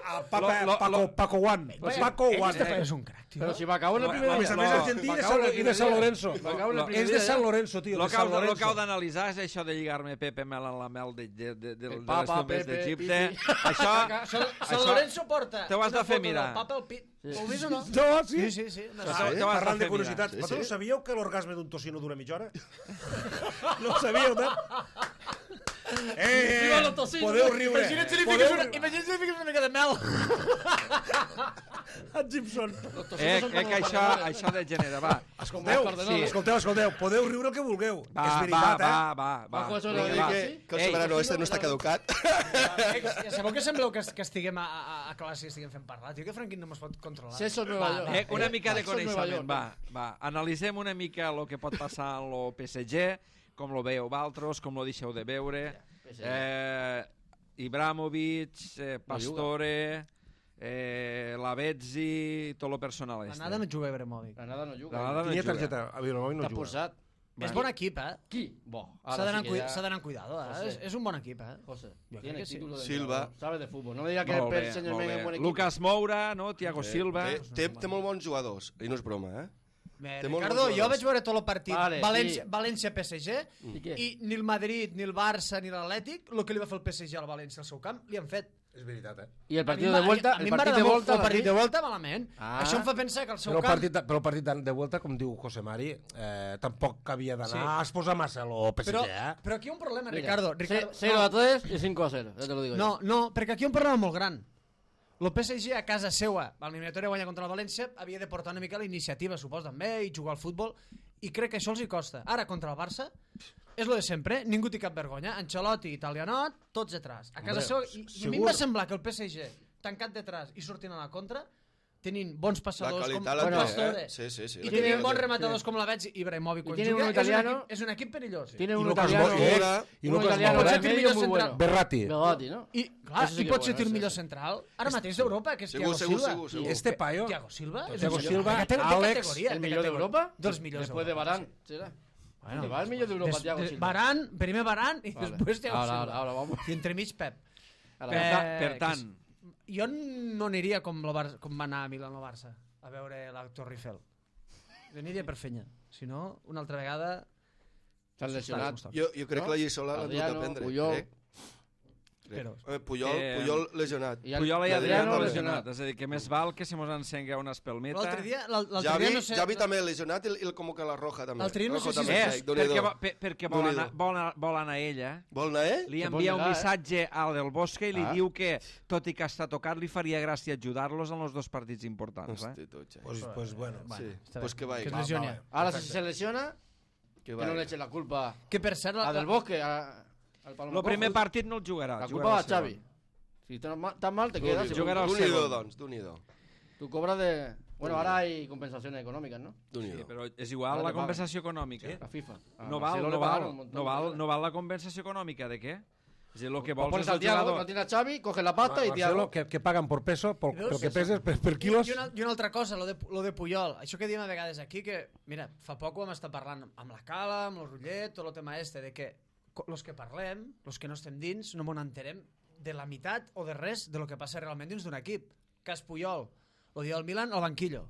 a Papa, Lo- lo- Paco, lo- Paco One. Vaya, Paco ell One. este paio és un crac, tio. Pero si va a cabo en el Lo- primer A lo- més a día. més, lo- argentí va de a cabo San, en el i de primer San día. Lorenzo. Va a cabo en el Lo- primer És de día. San Lorenzo, tio. Lo de que San heu de- lo que Lorenzo. heu d'analitzar és això de lligar-me Pepe Mel en la mel de, de, de, de, de, El les papa, tombes Pepe, d'Egipte. Pipi. Això, San, San això- Lorenzo porta Te ho has una de fer foto mirar. del papa al pit. Ho vist o no? No, sí? Sí, sí, sí. No, Això- sé. te ho has Parlant de fer curiositats, mirar. vosaltres Sí, sí. sabíeu que l'orgasme d'un tocino dura mitja hora? No ho sabíeu, no? Eh, Viva eh, los tocinos. podeu riure. Imagina't si li Podeu fiques una, riure. imagina't si li fiques una mica de mel. A Gibson. eh, eh, que això, això degenera, va. Escolteu, Sí. escolteu, escolteu, podeu riure el que vulgueu. Va, És veritat, va, eh? va, va, va. Ojo, eso Vinga, lo Dir va. dic, que, que el Ei, soberano este no està caducat. Ja sabeu que sembleu que, que estiguem a, a, a classe i estiguem fent parlar. Tio, que Franquín no mos pot controlar. Si eso es Nueva Va, York. va. Eh, una mica de Eso es Nueva coneixement, York. va, va. Analitzem una mica el que pot passar en lo P S G, com lo veieu vosaltres, com lo deixeu de veure. P S G. Eh, Ibrahimovic, eh, Pastore, eh, Lavezzi, tot lo personal La este. nada no juga a Ibrahimovic. Granada no juga. Granada no Tenia juga. targeta, a Vilanova no Està juga. expulsat. És bon equip, eh? Qui? Bo. S'ha d'anar amb, cui s'ha d'anar amb cuidado, eh? José. És, és un bon equip, eh? José, Yo creo tiene que sí. título de Silva. entrenador, sabe de fútbol. No me diga que Molt el bé, señor molt Mena bé. es buen equipo. Lucas Moura, no? Thiago Silva. Té, té, té molt bons jugadors, i no és broma, eh? Bé, Té molts Ricardo, bons jo jugadors. vaig veure tot el partit Vale, València, sí. València P S G I què? i ni el Madrid, ni el Barça, ni l'Atlètic, el que li va fer el P S G al València al seu camp, li han fet. És veritat, eh? Y el A partido mi de m'ha- vuelta, a mi el m'agrada partido de molt vuelta, el partit de David. volta malament. Ah. Això em fa pensar que el seu Però el camp... partit, de, però el partit de, de vuelta, com diu José Mari, eh, tampoc havia d'anar Sí. a exposar massa el P S G, Però, eh? però aquí hi ha un problema, Mira, Ricardo. Ricardo ce- cero a tres y cinco a cero, ya te lo digo no, no, perquè aquí hi ha un problema molt gran. El P S G a casa seua, a l'eliminatòria guanya contra el València, havia de portar una mica la iniciativa, suposo, també, i jugar al futbol, i crec que això els hi costa. Ara, contra el Barça, és lo de sempre, ningú té cap vergonya. Ancelotti, Italianot, tots atrás. A casa Hombre, seua, i, i a mi em segur. va semblar que el P S G tancat detrás i sortint a la contra, tenint bons passadors com, La com qualitat la Pastore, té, eh? Sí, sí, sí. i la tenint qualitat bons la té. rematadors com la veig Ibrahimovic quan tiene juga, un és un, italiano- equip, és un equip perillós. Tiene I un Lucas italiano, Moura, i un Lucas italiano Moura. de de medio muy bueno. Berratti. Berratti, ¿no? I, clar, Eso sí i que pot bueno, ser el ese millor sí. central ara mateix d'Europa, que és Segur, Thiago segur, Silva. segur, segur. Este paio, Thiago Silva és Thiago un Silva, de Àlex, categoria, ¿El de millor de categoria. Europa? Dels millors Después de d'Europa, Varane, sí. será. Bueno, Te va el millor de Europa, des- Thiago des- Silva. Varane, primer Varane i Vale. després Thiago Ahora, Silva. ahora, ahora vamos. I entremig Pep. Ahora, Per, Eh, ta, per que tant, és- Jo no aniria com, la Bar com va anar a Milan o Barça a veure la Torre Eiffel. Jo aniria per fenya. Si no, una altra vegada... S'han lesionat. Jo, jo crec No? que la lliçó l'ha dut a Adriano, prendre. Puyol. Crec. Crec. Però- Eh, Puyol, Eh, Puyol lesionat. I el- Puyol i Adriano Adriano lesionat. lesionat. És a dir, que més val que se mos encengui una espelmeta. L'altre dia, l'al- l'altre Javi, dia no sé... Javi també lesionat i el, i el com que la Roja també. L'altre dia no Rojo sé si també, és- És, sí, Déu-n'hi-do. perquè, vo- per- perquè vol, Déu-n'hi-do. anar, vol, anar, vol anar ella. Vol anar, eh? Li Se envia pot un negar, eh? missatge al del Bosque i li Ah. diu que, tot i que està tocat, li faria gràcia ajudar-los en els dos partits importants. Eh? Hosti, tu, xe. Pues, pues bueno. Sí, està pues bé. que vaya. Que es va, lesione. va, va. Ahora, si se lesiona, Que que vaya. no le echen la culpa Que per cert... a La, Del Bosque, a, al Palma El primer Cojos. partit no el jugarà. La jugarà culpa va a el segon. Xavi. Si estás ma- tan mal, te quedas. y Jugarà el D'un-hi-do, segon. doncs, d'un-hi-do. Tú cobras de... Bueno, ahora hay compensaciones económicas, ¿no? Sí, D'un-hi-do. però és igual Ahora la te pagan. compensació econòmica. La FIFA. A No val, Marcelo no le pagaron val, un montón no de val, dólares. no val la compensació econòmica de què? És a dir, el que Pues vols pones és el al Thiago, jugador... no tiene a Xavi, coge la pasta y Marcelo, Thiago... que, que paguen per peso, pel, Veus? pel que peses, per, per quilos. I, una, I una altra cosa, lo de, lo de Puyol. Això que diem a vegades aquí, que, mira, fa poc ho vam estar parlant amb la Cala, amb el Rullet, tot el tema este, de que co- los que parlem, los que no estem dins, no m'ho enterem de la meitat o de res de lo que passa realment dins d'un equip. Cas Puyol, lo dia del Milan, al banquillo.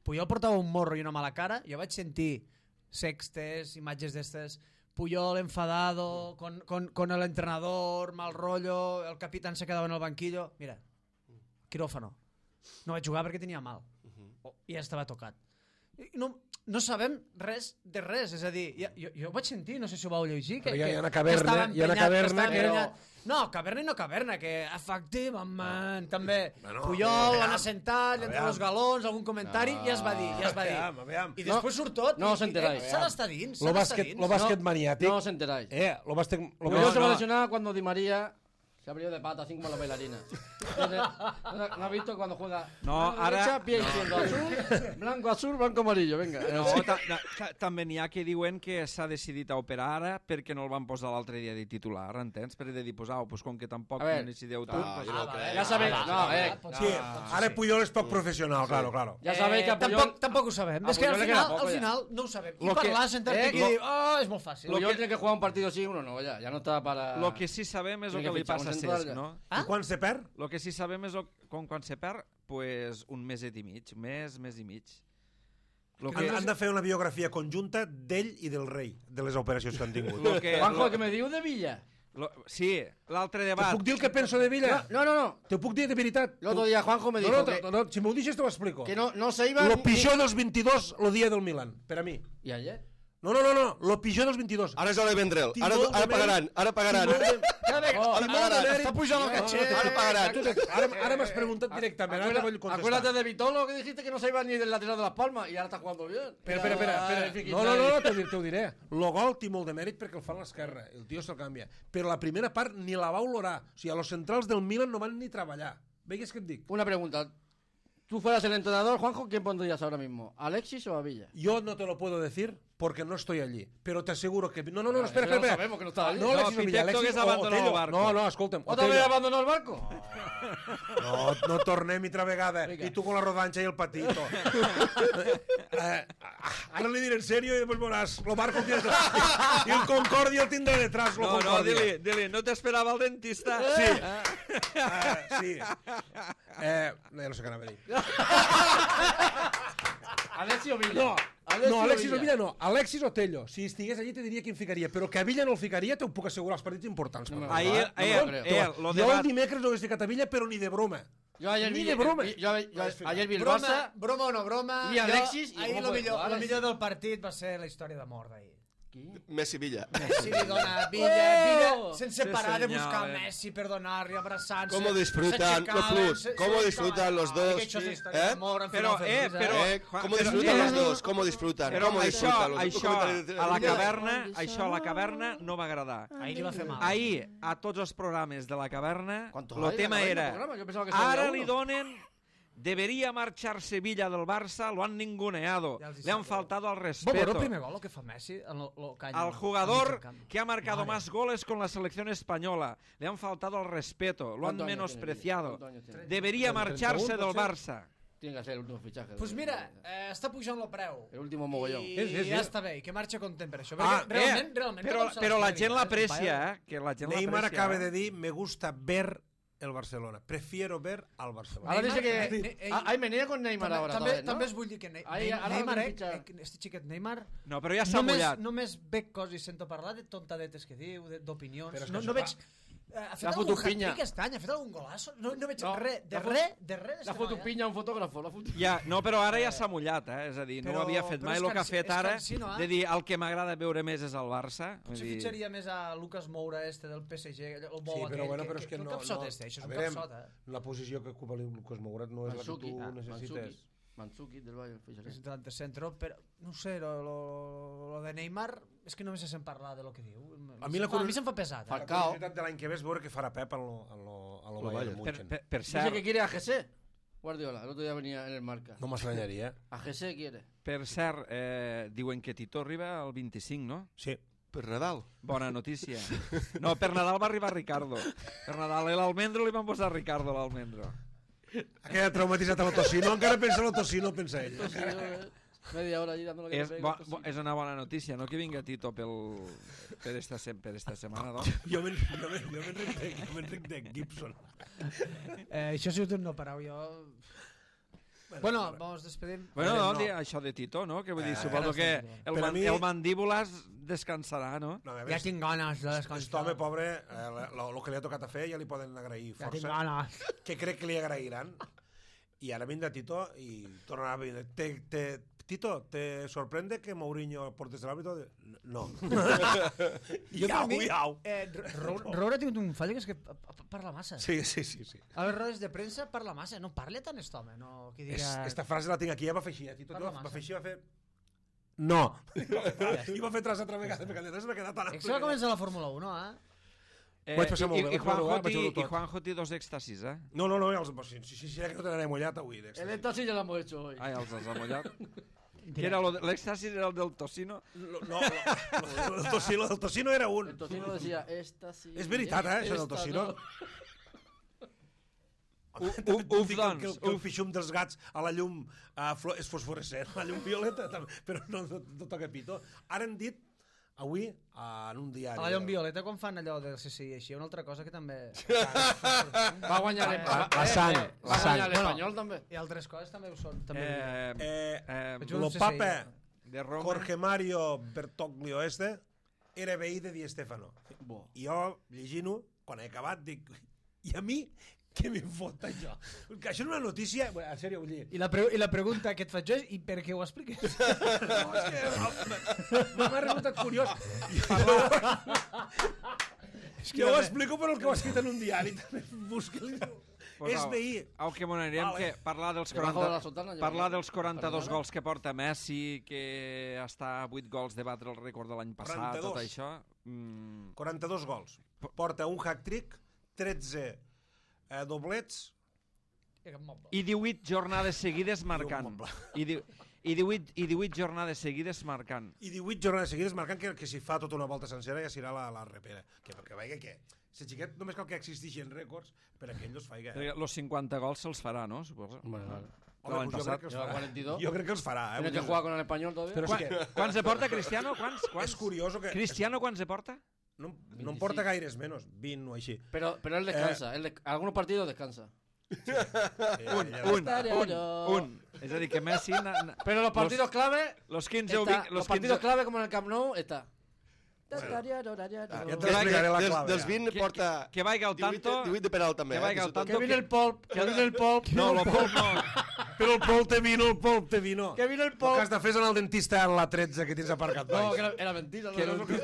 Puyol portava un morro i una mala cara, jo vaig sentir sextes, imatges d'estes, Puyol enfadado, con, con, con el entrenador, mal rollo, el capitán se quedava en el banquillo. Mira, quirófano. No vaig jugar perquè tenia mal. Oh, I ja estava tocat. I No, no sabem res de res, és a dir, ja, jo, jo ho vaig sentir, no sé si ho vau llegir, que, Però hi ha- que, hi ha una que caverna, estava hi ha una emprenyat, caverna estava que- emprenyat. No, caverna i no caverna, que efectivament, també Bueno, Puyol aviam, l'han assentat, entre aviam. els galons, algun comentari, i ja es va dir, ja es va dir. Aviam, aviam. I després surt tot, no i, us enteráis. i, eh, s'ha d'estar dins, Lo s'ha d'estar bàsquet, dins. lo bàsquet No, maniàtic... No os enteráis. Eh, lo bàsquet... Lo Puyol se va a no. lesionar cuando Di María se abrió de pata, así como la bailarina. Entonces, ¿no no has visto cuando juega? No, mano ara- derecha, pie no. izquierdo, azul, blanco, azul, blanco, amarillo, venga. No, ta, ta, ta, també n'hi ha que diuen que s'ha decidit a operar ara perquè no el van posar l'altre dia de titular, entens? Per de dir, pues, au, pues, com que tampoc A ver. no decideu tu... Ah, pues, jo no ho crec. Ya sabéis, no, eh, Sí, ara Puyol és poc professional, claro, claro. ya sabéis que a Puyol, tampoc, tampoc ho sabem. a És que al Puyol le queda final, poco al ya. final no ho sabem. I Lo que- parlar, sentar-te eh, aquí lo- i dir, oh, és molt fàcil. Puyol tiene que jugar un partido sí, uno no, ya, ya no está para... Lo que sí sabem és el Tiene que que li fitxar passa a un central Cesc, ja. no? Ah? I quan se perd? El que sí sabem és el, com quan se perd, pues, un meset i mig, mes, mes i mig. Lo Han, han de fer una biografia conjunta d'ell i del rei, de les operacions que han tingut. Lo que, Juanjo, lo, que me diu de Villa. lo, sí, l'altre Te debat... puc dir el que penso de Villa? No, no, no. Te ho puc dir de veritat? El otro día Juanjo me No, dijo no, que, no, no, si m'ho deixes te ho explico. que no, no se iba... Lo ni- pitjor dels vint-i-dos el dia del Milan, per a mi. ¿Y ayer? No, no, no, no, lo pitjor dels vint-i-dos. Ara és hora de vendre'l. Tinc Ara, molt de ara pagaran, ara pagaran. Tinc molt de- Oh, Tinc molt de mèrit. Està pujant el No, no, catxet. no, Ara pagaran. tu te- Ara, ara m'has preguntat directament, ara te vull Acuérdate, contestar. acuérdate de Vitolo, que dijiste que no se iba ni del lateral de Las Palmas y ahora está jugando bien. Espera, espera, espera, Ay, espera. fiqui, No, no, no, Xavi. no te, te ho diré. Lo gol té molt de mèrit perquè el fa a l'esquerra. El tio se'l canvia. Però la primera part ni la va olorar. O sigui, a los centrals del Milan no van ni treballar. Veigues què et dic? Una pregunta. Tú fueras el entrenador, Juanjo, ¿quién pondrías ahora mismo? ¿A Alexis o a Villa? Yo no te lo puedo decir porque no estoy allí. Pero te aseguro que... No, no, no, espera, eso espera. ya lo espera. sabemos que no estaba allí. No, No, Alexis no, Villa, Pitecto Alexis que o s'abandonó Otello. el barco. No, no, escolta'm. ¿Otra Otello. vez abandonó el barco? No, no tornem altra vegada. Vinga. I tu con la rodanxa i el patito. eh, ara li diré en serio i després veuràs. Lo barco el tiene detrás. I el Concordia el tindrà detrás. Lo No, no, Concordia. dili, dili, no t'esperava el dentista. Sí. Uh, sí. Eh, no, no sé què anava a dir. Alexis o Villa. No, Alexis no, o Alexis Villa. o Villa no. Alexis o Tello. Si estigués allí te diria qui em ficaria, però que a Villa no el ficaria t'ho puc assegurar els partits importants. No me per va. Ahir, No me eh, lo creo. eh, lo jo el debat... dimecres no hagués ficat a Villa, però ni de broma. Yo ayer Ni vi, de broma. vi- yo, yo ayer vi el Broma, Barça. broma o no broma. I Alexis, jo, i ahir com lo puede millor, jugar, lo Alexis? millor del partit va ser la història d'amor d'ahir. Qui? Messi Villa. Messi li dona Villa, Villa, sense Sí, parar de senyor, buscar eh. Messi per donar-li, abraçant-se. Cómo disfrutan los plus, cómo disfrutan los dos, eh? Però, eh, però... Eh, Juan, ¿Cómo però, disfrutan eh, los dos? ¿Cómo disfrutan? Però ¿Cómo això, disfrutan los dos? això, a la caverna, això a la caverna no va agradar. Ahir li va fer mal. Ahir, a tots els programes de la caverna, ¿Cuántos el hay? tema ¿Cuántos era... programas? Yo pensaba que solo Ara había li uno. donen... Debería marchar Sevilla del Barça, lo han ninguneado. Ya os Le han dice- faltado al Bo, però respeto. el primer gol, lo que fa Messi, en lo, lo caña, Al al jugador mig del camp. que ha marcado Mare. más goles con la selección española. Le han faltado al respeto, lo han ¿Cuántos años menospreciado. tiene? ¿Cuántos años tiene? Debería marcharse treinta y uno, del potser. Barça. Tiene que ser el último fichaje. Pues mira, eh, està pujant el preu. El último mogollón. I Sí, sí, sí. ja està bé, i que marxa content per això. Ah, Perquè realment, eh, realment... però, tothom se però la l'espera, gent eh? l'aprecia, eh? Que la gent Neymar l'aprecia. acaba eh? de dir, me gusta ver el Barcelona. Prefiero ver al Barcelona. Ahora dice Neymar- que... Ne- Ah, hay menea con Neymar També, ahora. també, otra vez, ¿no? també es vull dir que ne Ahí, Ne ara Neymar, el eh, fitxa. eh, este xiquet Neymar, No, però ja s'ha només, mullat. només veig coses i sento parlar de tontadetes que diu, de- d'opinions. Però és que No, això no veig... fa- Eh, ha fet La algun fotopinya. hat-trick aquest any? Ha fet algun golazo? No, no veig No, res, de la fo- res, de res. La d'este foto noi, eh? piña un fotógrafo. La foto... Ja, no, però ara ja s'ha mullat, eh? És a dir, no Però- ho havia fet però mai. és El que ha cansi- fet és ara, cansino, eh? de dir, el que m'agrada veure més és el Barça. Vull Potser dir, fitxaria més a Lucas Moura este del P S G, el bo Sí, aquell, però, bueno, però que, és que el no... capsot no, este, això és a un veure, capsot, eh? la posició que ocupa el Lucas Mouret no és Mansuki, la ah, que tu necessites. Mansuki del Valle, fíjate. És delante centro, però no sé, lo, lo, lo de Neymar és que només se sent parlar de lo que diu. A mi la a mi curios- se'm fa pesat. La Eh? Falcao. curiositat de l'any que ve és veure què farà Pep en lo, en lo, en lo Lo Bayern Bayern. per, München. per, per Dice cert, que quiere a G Guardiola, el otro día venía en el marca. No m'estranyaria, eh? A G quiere. per cert eh, diuen que Tito arriba al vint-i-cinc, no? Sí. Per Nadal. Bona notícia. No, per Nadal va arribar Ricardo. Per Nadal a l'Almendro li van posar Ricardo a l'Almendro. Ha quedat traumatitzat a l'Otocino, encara pensa a l'Otocino, pensa ell. Entonces, eh, media hora allí dándole que És, le bo, pega, bo, és una bona notícia, no que vinga Tito pel, per, esta, sem- per esta setmana, no? Jo me'n jo me'n- jo m'enric de, jo m'enric de Gibson. Eh, això ha sigut un no parau, jo... Bueno, vamos despedim. Bueno, no. no, di- això de Tito, no? Que vull dir, Eh, suposo ara que estem el, Per a man, mi- el mandíbules descansarà, no? No, a Ja veure, tinc ganes de aquest descansar. home pobre, eh, el que li ha tocat a fer ja li poden agrair Ja tinc força, ganes. que crec que li agrairan. I ara vindrà Tito i tornarà a venir. Te, te, Tito, ¿te sorprende que Mourinho portes el árbitro? No. Jo, per Iau, mi, iau. eh, Roure ha tingut un fall que és que pa- pa- parla massa. Sí, sí, sí. sí. A les rodes de premsa parla massa. No parla tant aquest home, no? Que És, diga... esta frase la tinc aquí, ja va fer així. Eh? Tito, Parla va massa. fer així, va fer... No. I va fer tres altres vegades, perquè després m'ha quedat tan... És que va començar la Fórmula un, eh? Eh, Vaig passar molt i, bé, i, vaig Juanjo veure, vaig té, veure I tot. Juanjo té dos èxtasis, eh? No, no, no, els, si, si, si, si que no te n'anaré mullat avui. El d'èxtasis. éxtasis ya lo hemos hecho hoy. Ai, els has amollat. Que era lo de- l'èxtasis era el del tocino. No, no, no, el tocino, el tocino era un. El tocino decía, éxtasis... És veritat, eh, això del esta tocino. no. Uf, També et uf, dic doncs, que, el- que el uf. pixum dels gats a la llum uh, és fosforescent, a la llum violeta, també, però no, no, no toca pito. Ara han dit, avui, uh, en un diari... A la llum violeta, quan fan allò del C C I així, una altra cosa que també... Va a guanyar el, La- la sang, eh, la va a sang. guanyar l'Espanyol també. I altres coses també ho són. També Eh, Eh, eh, Vaig lo un C C I. papa de Roma. Jorge Mario Bertoglio este era veí de Di Stefano. Bo. I jo, llegint-ho, quan he acabat, dic... I a mi, què m'hi fot això? Que això és una notícia... Bueno, en sèrio, vull dir... I la, pre I la pregunta que et faig jo és i per què ho expliques? No, és que m'ha resultat curiós. És que jo ho explico per el que ho ha escrit en un diari. També busca-li. Pues És au, veí. Au que m'ho anirem, Vale. que parlar dels Debajo de la quaranta, sotana, parlar lleva- dels quaranta-dos Perdona? gols que porta Messi, que està a vuit gols de batre el rècord de l'any passat, quaranta-dos. tot això... Mm, quaranta-dos gols. Porta un hat-trick, tretze eh, doblets, I divuit jornades seguides marcant. moble. I, di i, divuit, I divuit jornades seguides marcant. i divuit jornades seguides marcant que, que si fa tota una volta sencera ja serà la, la repera. Que perquè veia que si xiquet només cal que existeixin rècords per a que ell els faiga. Perquè los cinquanta gols se'ls farà, no? Suposo. Bueno, vale. Home, l'any doncs jo passat. crec que els Lleva farà. cuarenta y dos. Jo crec que els farà. Eh? Tiene Vull que dir, jugar con el Español todavía. Però Quan, sí que quants se porta Cristiano? Quants? quants? és curioso que... Cristiano quants se porta? No, no em porta gaires menys, vint o així. Pero, pero él descansa. Él de- algunos partidos descansa. Eh, Un, ja- un, Estaria un, yo. un. És a dir, que Messi... Na, na, Pero los partidos clave... Los quinze o está- vint... los partidos clave como en el Camp Nou está. Ja Ah, te l'explicaré la dels, clave. dels ja. vint Que- porta que vaiga al divuit, tanto- divuit de penal també. que vaiga eh, al tanto- Que vine el polp, que vine el polp. No, lo Pol no. Però el Pol té vino, el Pol té vino. Que vine el El polp. que has de fer és anar al dentista en la tretze que tens aparcat No, baix. que era, era mentira. No, Que no, no- no,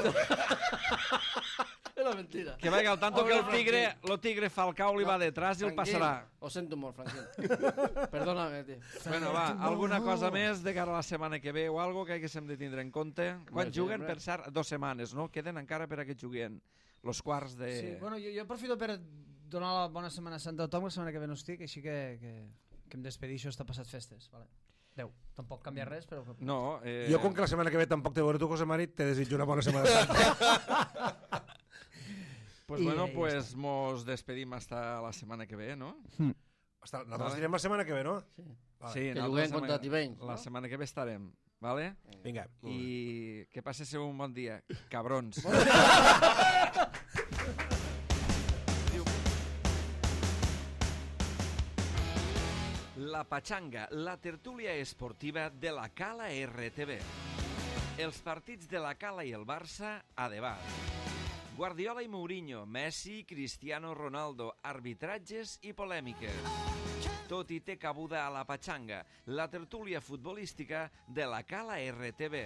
era mentira. Que vaiga al tanto que el tigre, lo tigre Falcao li va detrás i el Tranquil. passarà. Ho sento molt, Franquín. Perdóname, tio. Bueno, va, alguna cosa més de cara a la setmana que ve o algo que haguéssim de tindre en compte? Quan sí, juguen, hombre. per cert, dos setmanes, no? Queden encara per a que juguen los quarts de... Sí, bueno, jo, jo aprofito per donar la bona Setmana Santa a tothom, la setmana que ve no estic, així que, que, que em despedixo hasta passat festes. Vale. Adéu. Tampoc canvia res, però... No, eh... Jo, com que la setmana que ve tampoc te veuré tu, José Mari, te desitjo una bona setmana santa. Pues I bueno, ja pues mos despedim hasta la setmana que ve, no? Hasta, nosaltres direm la setmana que ve, no? Sí. Vale. Sí, Que nosaltres juguem la contra setmana- Tivenys, La no? setmana que ve estarem, vale? Vinga. I que passeu un bon dia, cabrons. La Pachanga, la tertúlia esportiva de la Cala R T V. Els partits de la Cala i el Barça a debat. Guardiola i Mourinho, Messi, Cristiano Ronaldo, arbitratges i polèmiques. Tot i té cabuda a la Pachanga, la tertúlia futbolística de la Cala R T V.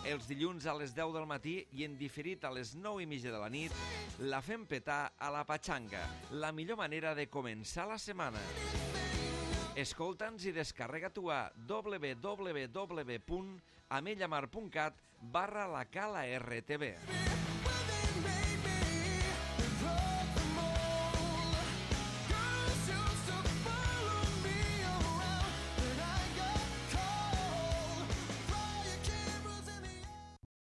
Els dilluns a les deu del matí i en diferit a les nou i mitja de la nit, la fem petar a la Pachanga, la millor manera de començar la setmana. Escolta'ns i descarrega tu a w w w punt amellamar punt cat barra la Cala R T V.